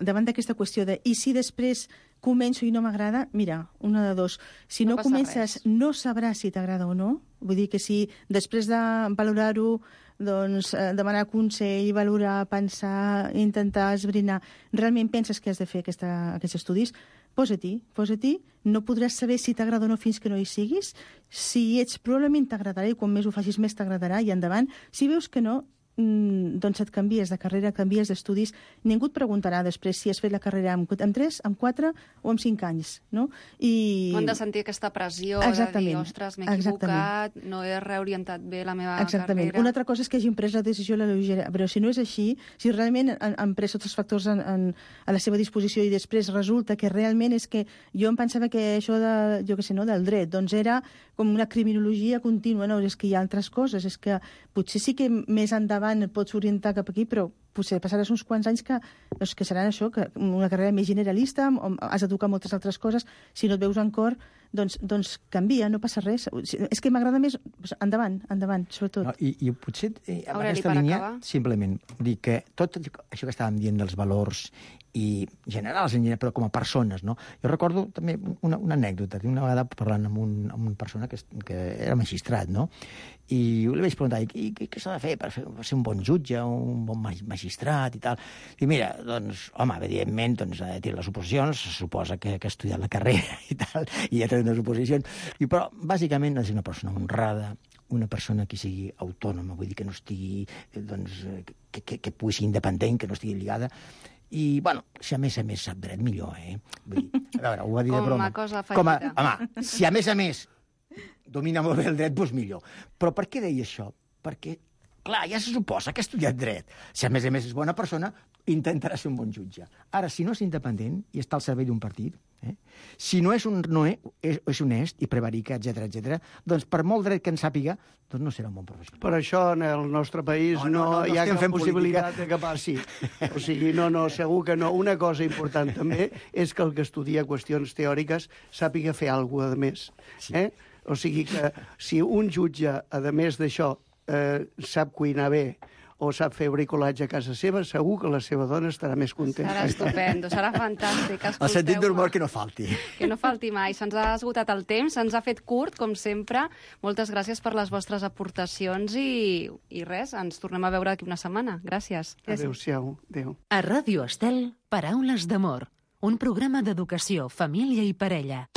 davant d'aquesta qüestió de i si després començo i no m'agrada, mira, una de dos. Si no comences, no sabràs si t'agrada o no. Vull dir que si després de valorar-ho, doncs demanar consell, valorar, pensar, intentar esbrinar, realment penses que has de fer aquests estudis, posa-t'hi. No podràs saber si t'agrada o no fins que no hi siguis. Si hi ets, probablement t'agradarà, i quan més ho facis més t'agradarà, i endavant. Si veus que no, doncs et canvies de carrera, canvies d'estudis. Ningú et preguntarà després si has fet la carrera amb 3, amb 4 o amb 5 anys, no? No han de sentir aquesta pressió de dir, ostres, m'he equivocat, no he reorientat bé la meva carrera. Una altra cosa és que hagin pres la decisió a la lleugera, però si no és així, si realment han pres tots els factors a la seva disposició i després resulta que realment és que jo em pensava que això del dret, doncs era com una criminologia contínua, no, és que hi ha altres coses, és que potser sí que més endavant et pots orientar cap aquí, però potser passaràs uns quants anys que seran això, que una carrera més generalista, on has de tocar moltes altres coses, si no et veus en cor, doncs canvia, no passa res. És que m'agrada més... Endavant, sobretot. No, I potser, amb aquesta línia, simplement, dir que tot això que estàvem dient dels valors i generals, però com a persones, no? Jo recordo també una anècdota, una vegada parlant amb una persona que era magistrat, no? I li vaig preguntar, què s'ha de fer per ser un bon jutge, un bon magistrat i tal? I mira, doncs, home, evidentment, ha de tenir les oposicions, se suposa que ha estudiat la carrera i tal, i ja té unes oposicions, però bàsicament ha de ser una persona honrada, una persona que sigui autònoma, vull dir que no estigui, doncs, que pugui ser independent, que no estigui lligada. I, bueno, si a més sap dret, millor, eh? Vull dir, a veure, ho va dir de broma. Home, si a més domina molt bé el dret, doncs millor. Però per què deia això? Perquè, clar, ja se suposa que ha estudiat dret. Si a més és bona persona, intentarà ser un bon jutge. Ara, si no és independent i està al servei d'un partit, si no és honest i prevarica, etc., doncs per molt dret que en sàpiga, doncs no serà un bon professional. Per això en el nostre país no hi ha cap possibilitat de que passi. O sigui, no, segur que no. Una cosa important també és que el que estudia qüestions teòriques sàpiga fer alguna cosa de més. O sigui que si un jutge, a més d'això, sap cuinar bé o sap fer bricolatge a casa seva, segur que la seva dona estarà més contenta. Serà estupendo, serà fantàstic. El sentit d'humor que no falti. Que no falti mai. Se'ns ha esgotat el temps, se'ns ha fet curt, com sempre. Moltes gràcies per les vostres aportacions i res, ens tornem a veure d'aquí una setmana. Gràcies. Adéu-siau. Adéu. A Ràdio Estel, Paraules d'amor. Un programa d'educació, família i parella.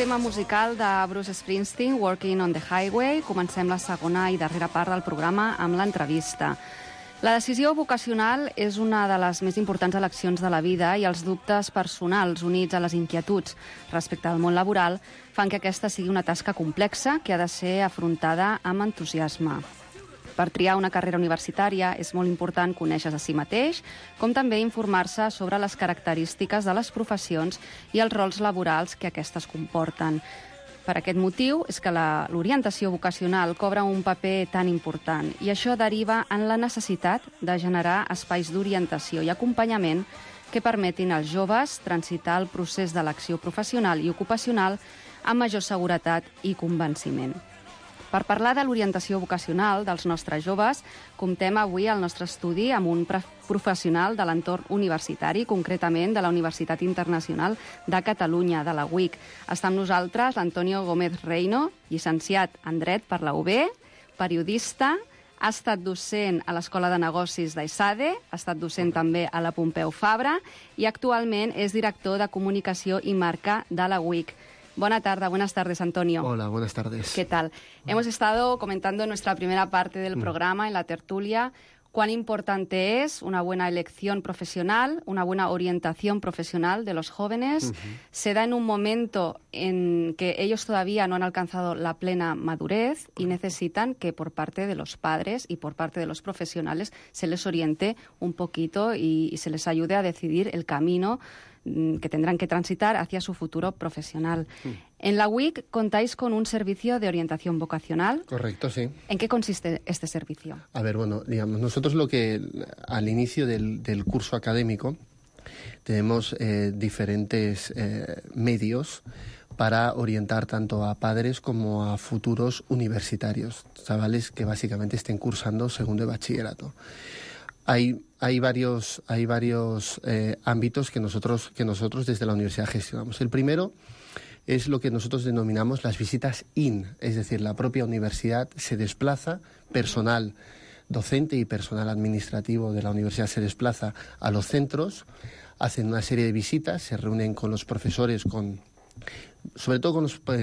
tema musical de Bruce Springsteen, Working on the Highway. Comencem la segona i darrera part del programa amb l'entrevista. La decisió vocacional és una de les més importants eleccions de la vida i els dubtes personals units a les inquietuds respecte al món laboral fan que aquesta sigui una tasca complexa que ha de ser afrontada amb entusiasme. Per triar una carrera universitària és molt important conèixer a si mateix, com també informar-se sobre les característiques de les professions i els rols laborals que aquestes comporten. Per aquest motiu és que l'orientació vocacional cobra un paper tan important i això deriva en la necessitat de generar espais d'orientació i acompanyament que permetin als joves transitar el procés d'elecció professional i ocupacional amb major seguretat i convenciment. Per parlar de l'orientació vocacional dels nostres joves, comptem avui al nostre estudi amb un professional de l'entorn universitari, concretament de la Universitat Internacional de Catalunya, de la UIC. Està amb nosaltres l'Antonio Gómez Reino, llicenciat en Dret per la UB, periodista, ha estat docent a l'Escola de Negocis d'ESADE, ha estat docent també a la Pompeu Fabra i actualment és director de Comunicació i Marca de la UIC. Buenas tardes, Antonio. Hola, buenas tardes. ¿Qué tal? Hemos estado comentando en nuestra primera parte del programa, en la tertulia, cuán importante es una buena elección profesional, una buena orientación profesional de los jóvenes. Se da en un momento en que ellos todavía no han alcanzado la plena madurez y necesitan que por parte de los padres y por parte de los profesionales se les oriente un poquito y se les ayude a decidir el camino que tendrán que transitar hacia su futuro profesional. En la UIC contáis con un servicio de orientación vocacional. Correcto, sí. ¿En qué consiste este servicio? A ver, bueno, digamos, nosotros al inicio del curso académico tenemos diferentes medios para orientar tanto a padres como a futuros universitarios, chavales que básicamente estén cursando segundo de bachillerato. Hay varios ámbitos que nosotros desde la universidad gestionamos. El primero es lo que nosotros denominamos las visitas in, es decir, la propia universidad se desplaza, personal docente y personal administrativo de la universidad se desplaza a los centros, hacen una serie de visitas, se reúnen con los profesores, sobre todo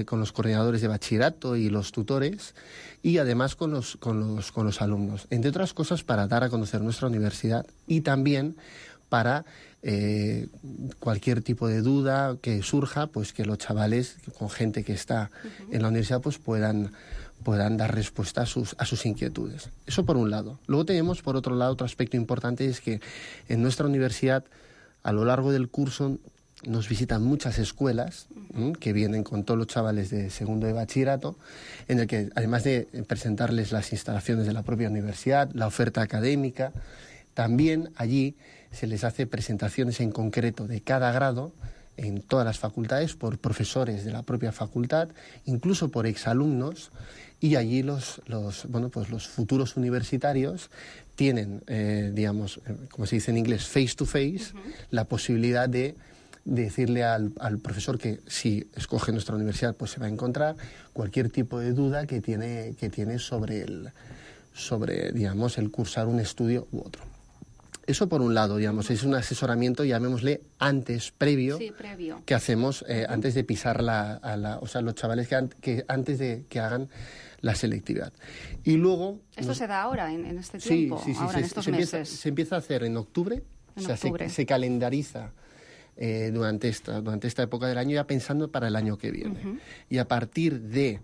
con los coordinadores de bachillerato y los tutores, y además con los alumnos, entre otras cosas para dar a conocer nuestra universidad y también para cualquier tipo de duda que surja, pues que los chavales, con gente que está en la universidad, pues puedan dar respuesta a sus inquietudes. Eso por un lado. Luego tenemos, por otro lado, otro aspecto importante, es que en nuestra universidad, a lo largo del curso, nos visitan muchas escuelas que vienen con todos los chavales de segundo de bachillerato, en el que, además de presentarles las instalaciones de la propia universidad, la oferta académica, también allí se les hace presentaciones en concreto de cada grado en todas las facultades por profesores de la propia facultad, incluso por exalumnos, y allí los futuros universitarios tienen, digamos, como se dice en inglés, face to face, la posibilidad de decirle al profesor que si escoge nuestra universidad pues se va a encontrar cualquier tipo de duda que tiene sobre digamos, el cursar un estudio u otro. Eso por un lado, digamos, es un asesoramiento, llamémosle previo, que hacemos antes de pisar o sea, los chavales que antes de que hagan la selectividad. Y luego... ¿Esto se da ahora, en este tiempo? Sí, ahora, en estos meses. Se empieza a hacer en octubre, se calendariza durante esta época del año, ya pensando para el año que viene. Y a partir de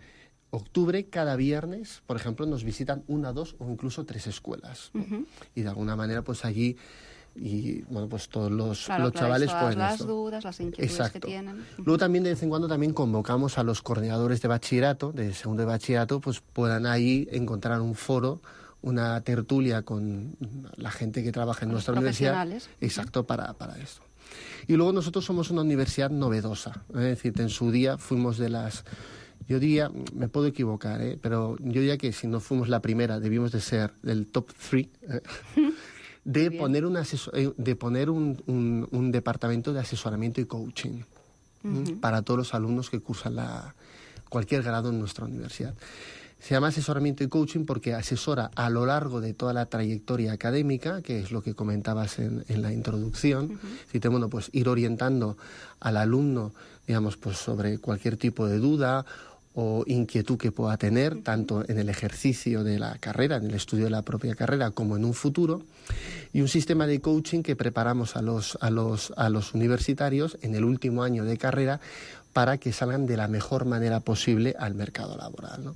octubre, cada viernes, por ejemplo, nos visitan 1, 2 o incluso 3 escuelas. Y de alguna manera, pues allí, y bueno, pues todos los chavales pueden las dudas, las inquietudes que tienen. Luego también de vez en cuando también convocamos a los coordinadores de bachillerato, de segundo de bachillerato, pues puedan ahí encontrar un foro, una tertulia con la gente que trabaja en nuestra universidad. Exacto, para esto. Y luego nosotros somos una universidad novedosa, es decir, en su día fuimos de las... Yo diría, me puedo equivocar, pero yo diría que si no fuimos la primera, debimos de ser del top 3, de poner un departamento de asesoramiento y coaching para todos los alumnos que cursan cualquier grado en nuestra universidad. Se llama asesoramiento y coaching porque asesora a lo largo de toda la trayectoria académica, que es lo que comentabas en la introducción. Bueno, pues ir orientando al alumno, digamos, pues sobre cualquier tipo de duda o inquietud que pueda tener, tanto en el ejercicio de la carrera, en el estudio de la propia carrera, como en un futuro. Y un sistema de coaching que preparamos a los universitarios en el último año de carrera para que salgan de la mejor manera posible al mercado laboral, ¿no?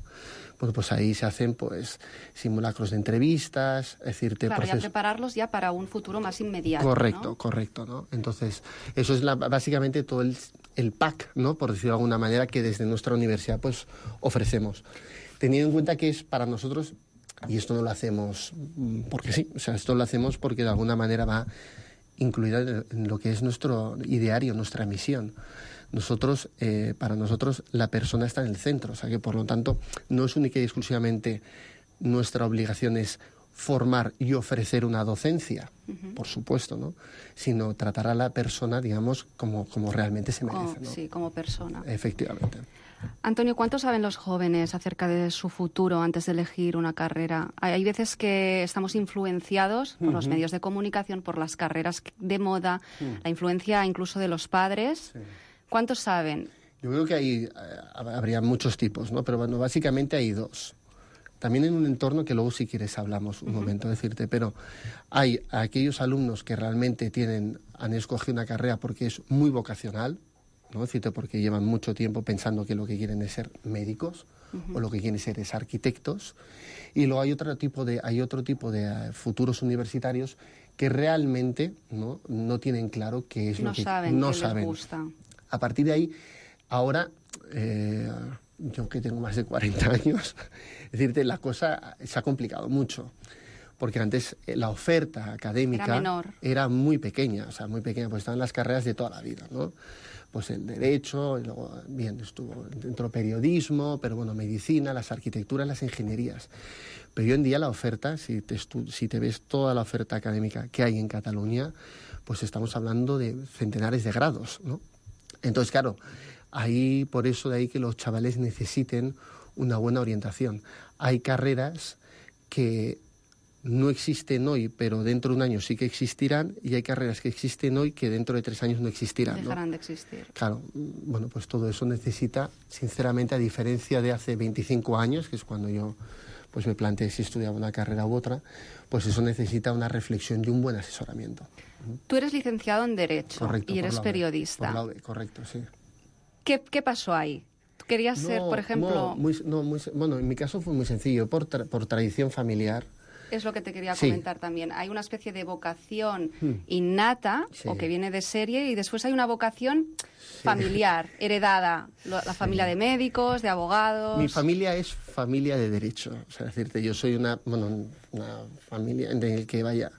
Bueno, pues ahí se hacen pues simulacros de entrevistas, es decir, Claro, ya prepararlos ya para un futuro más inmediato. Correcto, ¿no? Correcto, ¿no? Entonces, eso es básicamente todo el pack, ¿no? Por decirlo de alguna manera, que desde nuestra universidad pues ofrecemos. Teniendo en cuenta que es para nosotros, y esto no lo hacemos porque sí, o sea, esto lo hacemos porque de alguna manera va incluida en lo que es nuestro ideario, nuestra misión. Para nosotros, la persona está en el centro, o sea que por lo tanto no es única y exclusivamente nuestra obligación es formar y ofrecer una docencia, por supuesto, ¿no? Sino tratar a la persona, digamos, como realmente se merece, ¿no? Sí, como persona. Efectivamente. Antonio, ¿cuánto saben los jóvenes acerca de su futuro antes de elegir una carrera? Hay veces que estamos influenciados por los medios de comunicación, por las carreras de moda, la influencia incluso de los padres. Sí. ¿Cuántos saben? Yo creo que habría muchos tipos, ¿no? Pero bueno, básicamente hay dos. También en un entorno que luego si quieres hablamos un momento, decirte, pero hay aquellos alumnos que realmente han escogido una carrera porque es muy vocacional, ¿no? Decirte, porque llevan mucho tiempo pensando que lo que quieren es ser médicos o lo que quieren ser es arquitectos. Y luego hay otro tipo de futuros universitarios que realmente no tienen claro qué es lo que no saben. Les gusta. A partir de ahí, ahora, yo que tengo más de 40 años, decirte, la cosa se ha complicado mucho. Porque antes la oferta académica era muy pequeña, pues estaban las carreras de toda la vida, ¿no? Pues el derecho, y luego, bien, estuvo dentro periodismo, pero bueno, medicina, las arquitecturas, las ingenierías. Pero hoy en día la oferta, si te ves toda la oferta académica que hay en Cataluña, pues estamos hablando de centenares de grados, ¿no? Entonces, claro, por eso de ahí que los chavales necesiten una buena orientación. Hay carreras que no existen hoy, pero dentro de un año sí que existirán, y hay carreras que existen hoy que dentro de 3 años no existirán, ¿no? Dejarán de existir. Claro, bueno, pues todo eso necesita, sinceramente, a diferencia de hace 25 años, que es cuando yo pues me planteé si estudiaba una carrera u otra, pues eso necesita una reflexión y un buen asesoramiento. Tú eres licenciado en Derecho. Correcto, y eres periodista. Por la UB, correcto, sí. ¿Qué pasó ahí? ¿Querías ser, por ejemplo...? Bueno, en mi caso fue muy sencillo, por tradición familiar. Es lo que te quería comentar también. Hay una especie de vocación innata, o que viene de serie, y después hay una vocación familiar, heredada. La familia de médicos, de abogados... Mi familia es familia de derecho. O sea, decirte, yo soy una familia en la que vaya...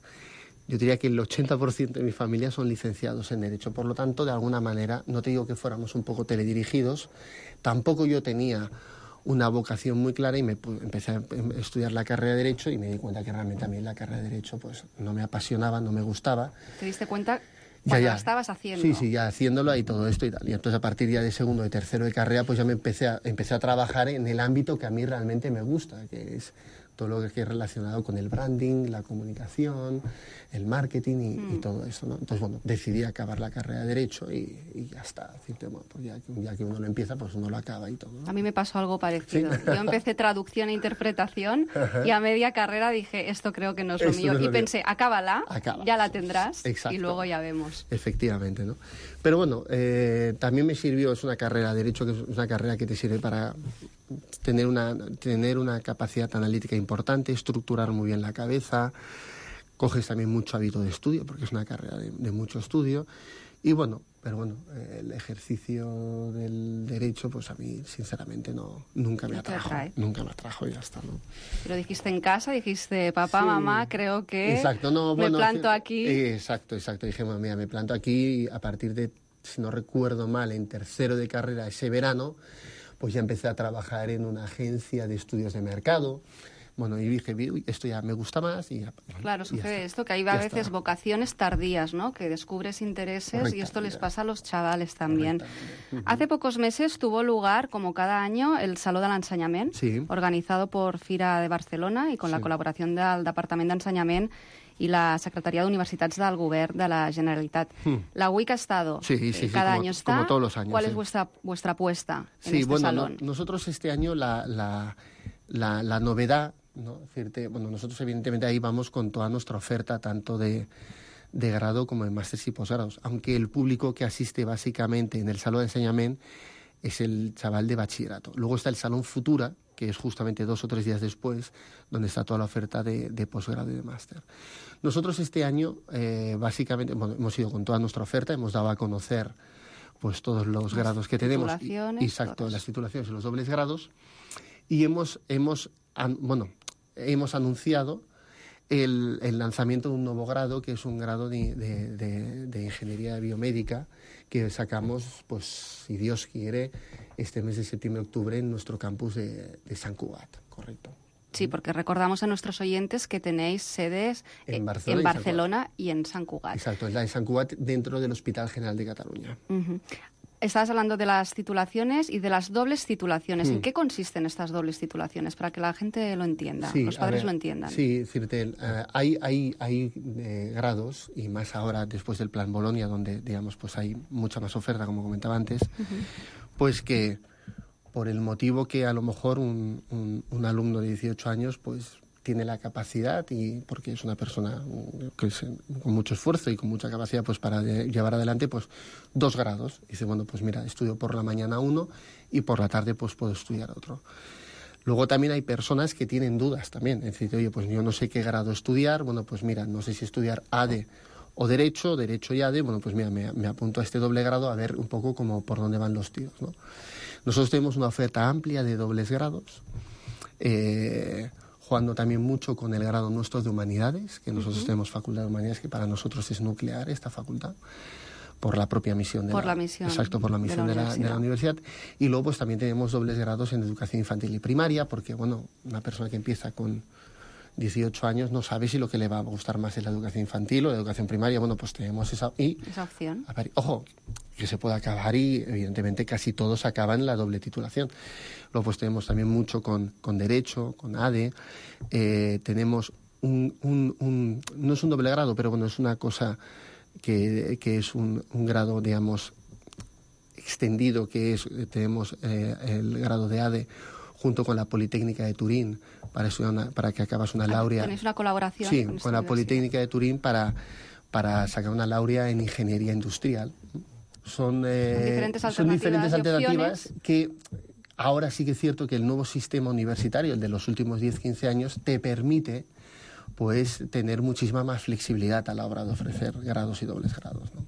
Yo diría que el 80% de mi familia son licenciados en Derecho. Por lo tanto, de alguna manera, no te digo que fuéramos un poco teledirigidos, tampoco yo tenía una vocación muy clara y empecé a estudiar la carrera de Derecho y me di cuenta que realmente a mí la carrera de Derecho pues no me apasionaba, no me gustaba. ¿Te diste cuenta cuando la estabas haciendo? Sí, ya haciéndolo y todo esto y tal. Y entonces a partir ya de segundo y tercero de carrera pues ya empecé a trabajar en el ámbito que a mí realmente me gusta, que es todo lo que es relacionado con el branding, la comunicación, el marketing y todo eso, ¿no? Entonces, bueno, decidí acabar la carrera de Derecho y ya está. Decirte, bueno, pues ya que uno lo empieza, pues uno lo acaba y todo, ¿no? A mí me pasó algo parecido. ¿Sí? Yo empecé traducción e interpretación y a media carrera dije, esto creo que no es lo mío. Y pensé, acábala, ya la tendrás. Exacto. Y luego ya vemos. Efectivamente, ¿no? Pero bueno, también me sirvió, es una carrera de Derecho, que es una carrera que te sirve para tener una capacidad analítica importante, estructurar muy bien la cabeza, coges también mucho hábito de estudio, porque es una carrera de mucho estudio, y bueno, pero bueno, el ejercicio del Derecho, pues a mí, sinceramente, nunca me atrajo. Nunca me atrajo y ya está, ¿no? Pero dijiste en casa, dijiste, papá, mamá, creo que exacto, me planto aquí. Exacto, dije, mamá, mira, me planto aquí y a partir de, si no recuerdo mal, en tercero de carrera ese verano, pues ya empecé a trabajar en una agencia de estudios de mercado, Bueno, y dije, uy, esto ya me gusta más y ya. Claro, sucede esto, que hay a veces vocaciones tardías, ¿no? Que descubres intereses y esto les pasa a los chavales también. Hace pocos meses tuvo lugar, como cada año, el Saló de l'Ensenyament, organizado por Fira de Barcelona y con la colaboración del Departament d'Ensenyament y la Secretaría de Universitats del Govern de la Generalitat. La UIC ha estado, cada año está. Como todos los años. ¿Cuál es vuestra apuesta en este salón? Nosotros este año la novedad, ¿no? Nosotros evidentemente ahí vamos con toda nuestra oferta, tanto de grado como de másteres y posgrados, aunque el público que asiste básicamente en el Salón de Enseñamiento es el chaval de bachillerato. Luego está el Salón Futura, que es justamente 2 o 3 días después, donde está toda la oferta de posgrado y de máster. Nosotros este año, básicamente, hemos ido con toda nuestra oferta, hemos dado a conocer pues todos los grados que tenemos. Exacto, las titulaciones y los dobles grados. Y hemos anunciado el lanzamiento de un nuevo grado, que es un grado de Ingeniería Biomédica, que sacamos, pues, si Dios quiere, este mes de septiembre-octubre en nuestro campus de Sant Cugat, correcto. Sí, porque recordamos a nuestros oyentes que tenéis sedes en Barcelona y en Sant Cugat. Exacto, es la de Sant Cugat dentro del Hospital General de Cataluña. Estabas hablando de las titulaciones y de las dobles titulaciones. ¿En qué consisten estas dobles titulaciones? Para que la gente lo entienda, los padres lo entiendan. Sí, Cirtel, hay grados, y más ahora después del Plan Bolonia, donde, digamos, pues hay mucha más oferta, como comentaba antes, pues que por el motivo que a lo mejor un alumno de 18 años, pues tiene la capacidad, y porque es una persona que con mucho esfuerzo y con mucha capacidad pues para llevar adelante pues 2 grados. Dice, bueno, pues mira, estudio por la mañana uno y por la tarde pues puedo estudiar otro. Luego también hay personas que tienen dudas también. Es decir, oye, pues yo no sé qué grado estudiar. Bueno, pues mira, no sé si estudiar ADE o Derecho y ADE. Bueno, pues mira, me apunto a este doble grado a ver un poco como por dónde van los tiros, ¿no? Nosotros tenemos una oferta amplia de dobles grados. Jugando también mucho con el grado nuestro de Humanidades, que nosotros tenemos Facultad de Humanidades, que para nosotros es nuclear esta facultad, por la propia misión de la universidad. Y luego pues también tenemos dobles grados en Educación Infantil y Primaria, porque bueno, una persona que empieza con 18 años no sabe si lo que le va a gustar más es la educación infantil o la educación primaria. Bueno, pues tenemos esa opción. Ojo, que se puede acabar, y evidentemente casi todos acaban la doble titulación. Luego pues tenemos también mucho con Derecho, con ADE. Tenemos no es un doble grado, pero bueno, es una cosa que es un grado, digamos, extendido, que tenemos el grado de ADE junto con la Politécnica de Turín, para que acabas una laurea. ¿Tenéis una colaboración? Sí, con la Politécnica de Turín para sacar una laurea en Ingeniería Industrial. Son diferentes alternativas que ahora sí que es cierto que el nuevo sistema universitario, el de los últimos 10-15 años, te permite pues tener muchísima más flexibilitat a l'hora d'ofrecer grados i dobles grados. No?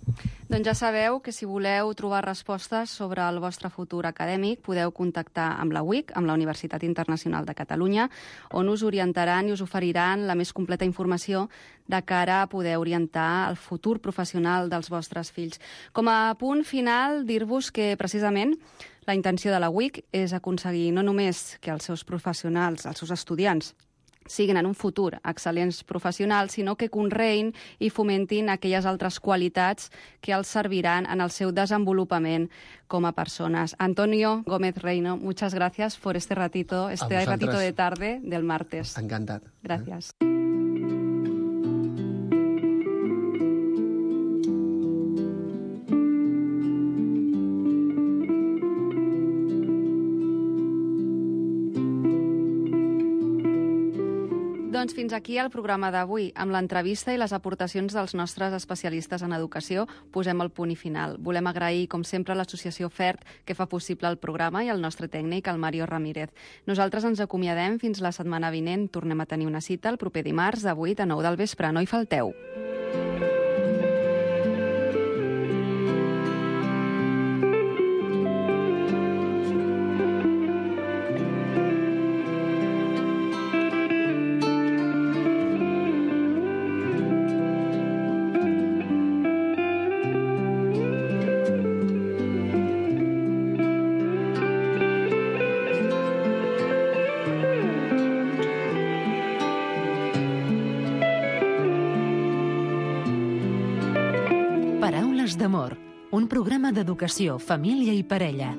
Doncs ja sabeu que si voleu trobar respostes sobre el vostre futur acadèmic podeu contactar amb la UIC, amb la Universitat Internacional de Catalunya, on us orientaran i us oferiran la més completa informació de cara a poder orientar el futur professional dels vostres fills. Com a punt final, dir-vos que precisament la intenció de la UIC és aconseguir no només que els seus professionals, els seus estudiants, siguin en un futur excel·lents professionals, sinó que conreïn i fomentin aquelles altres qualitats que els serviran en el seu desenvolupament com a persones. Antonio Gómez Reino, muchas gracias por este ratito de tarde del martes. Encantat. Gracias. Doncs fins aquí el programa d'avui. Amb l'entrevista i les aportacions dels nostres especialistes en educació posem el punt i final. Volem agrair, com sempre, a l'associació FERT, que fa possible el programa, i al nostre tècnic, el Mario Ramírez. Nosaltres ens acomiadem fins la setmana vinent. Tornem a tenir una cita el proper dimarts de 8 a 9 del vespre. No hi falteu. Hores d'amor, un programa d'educació, família i parella.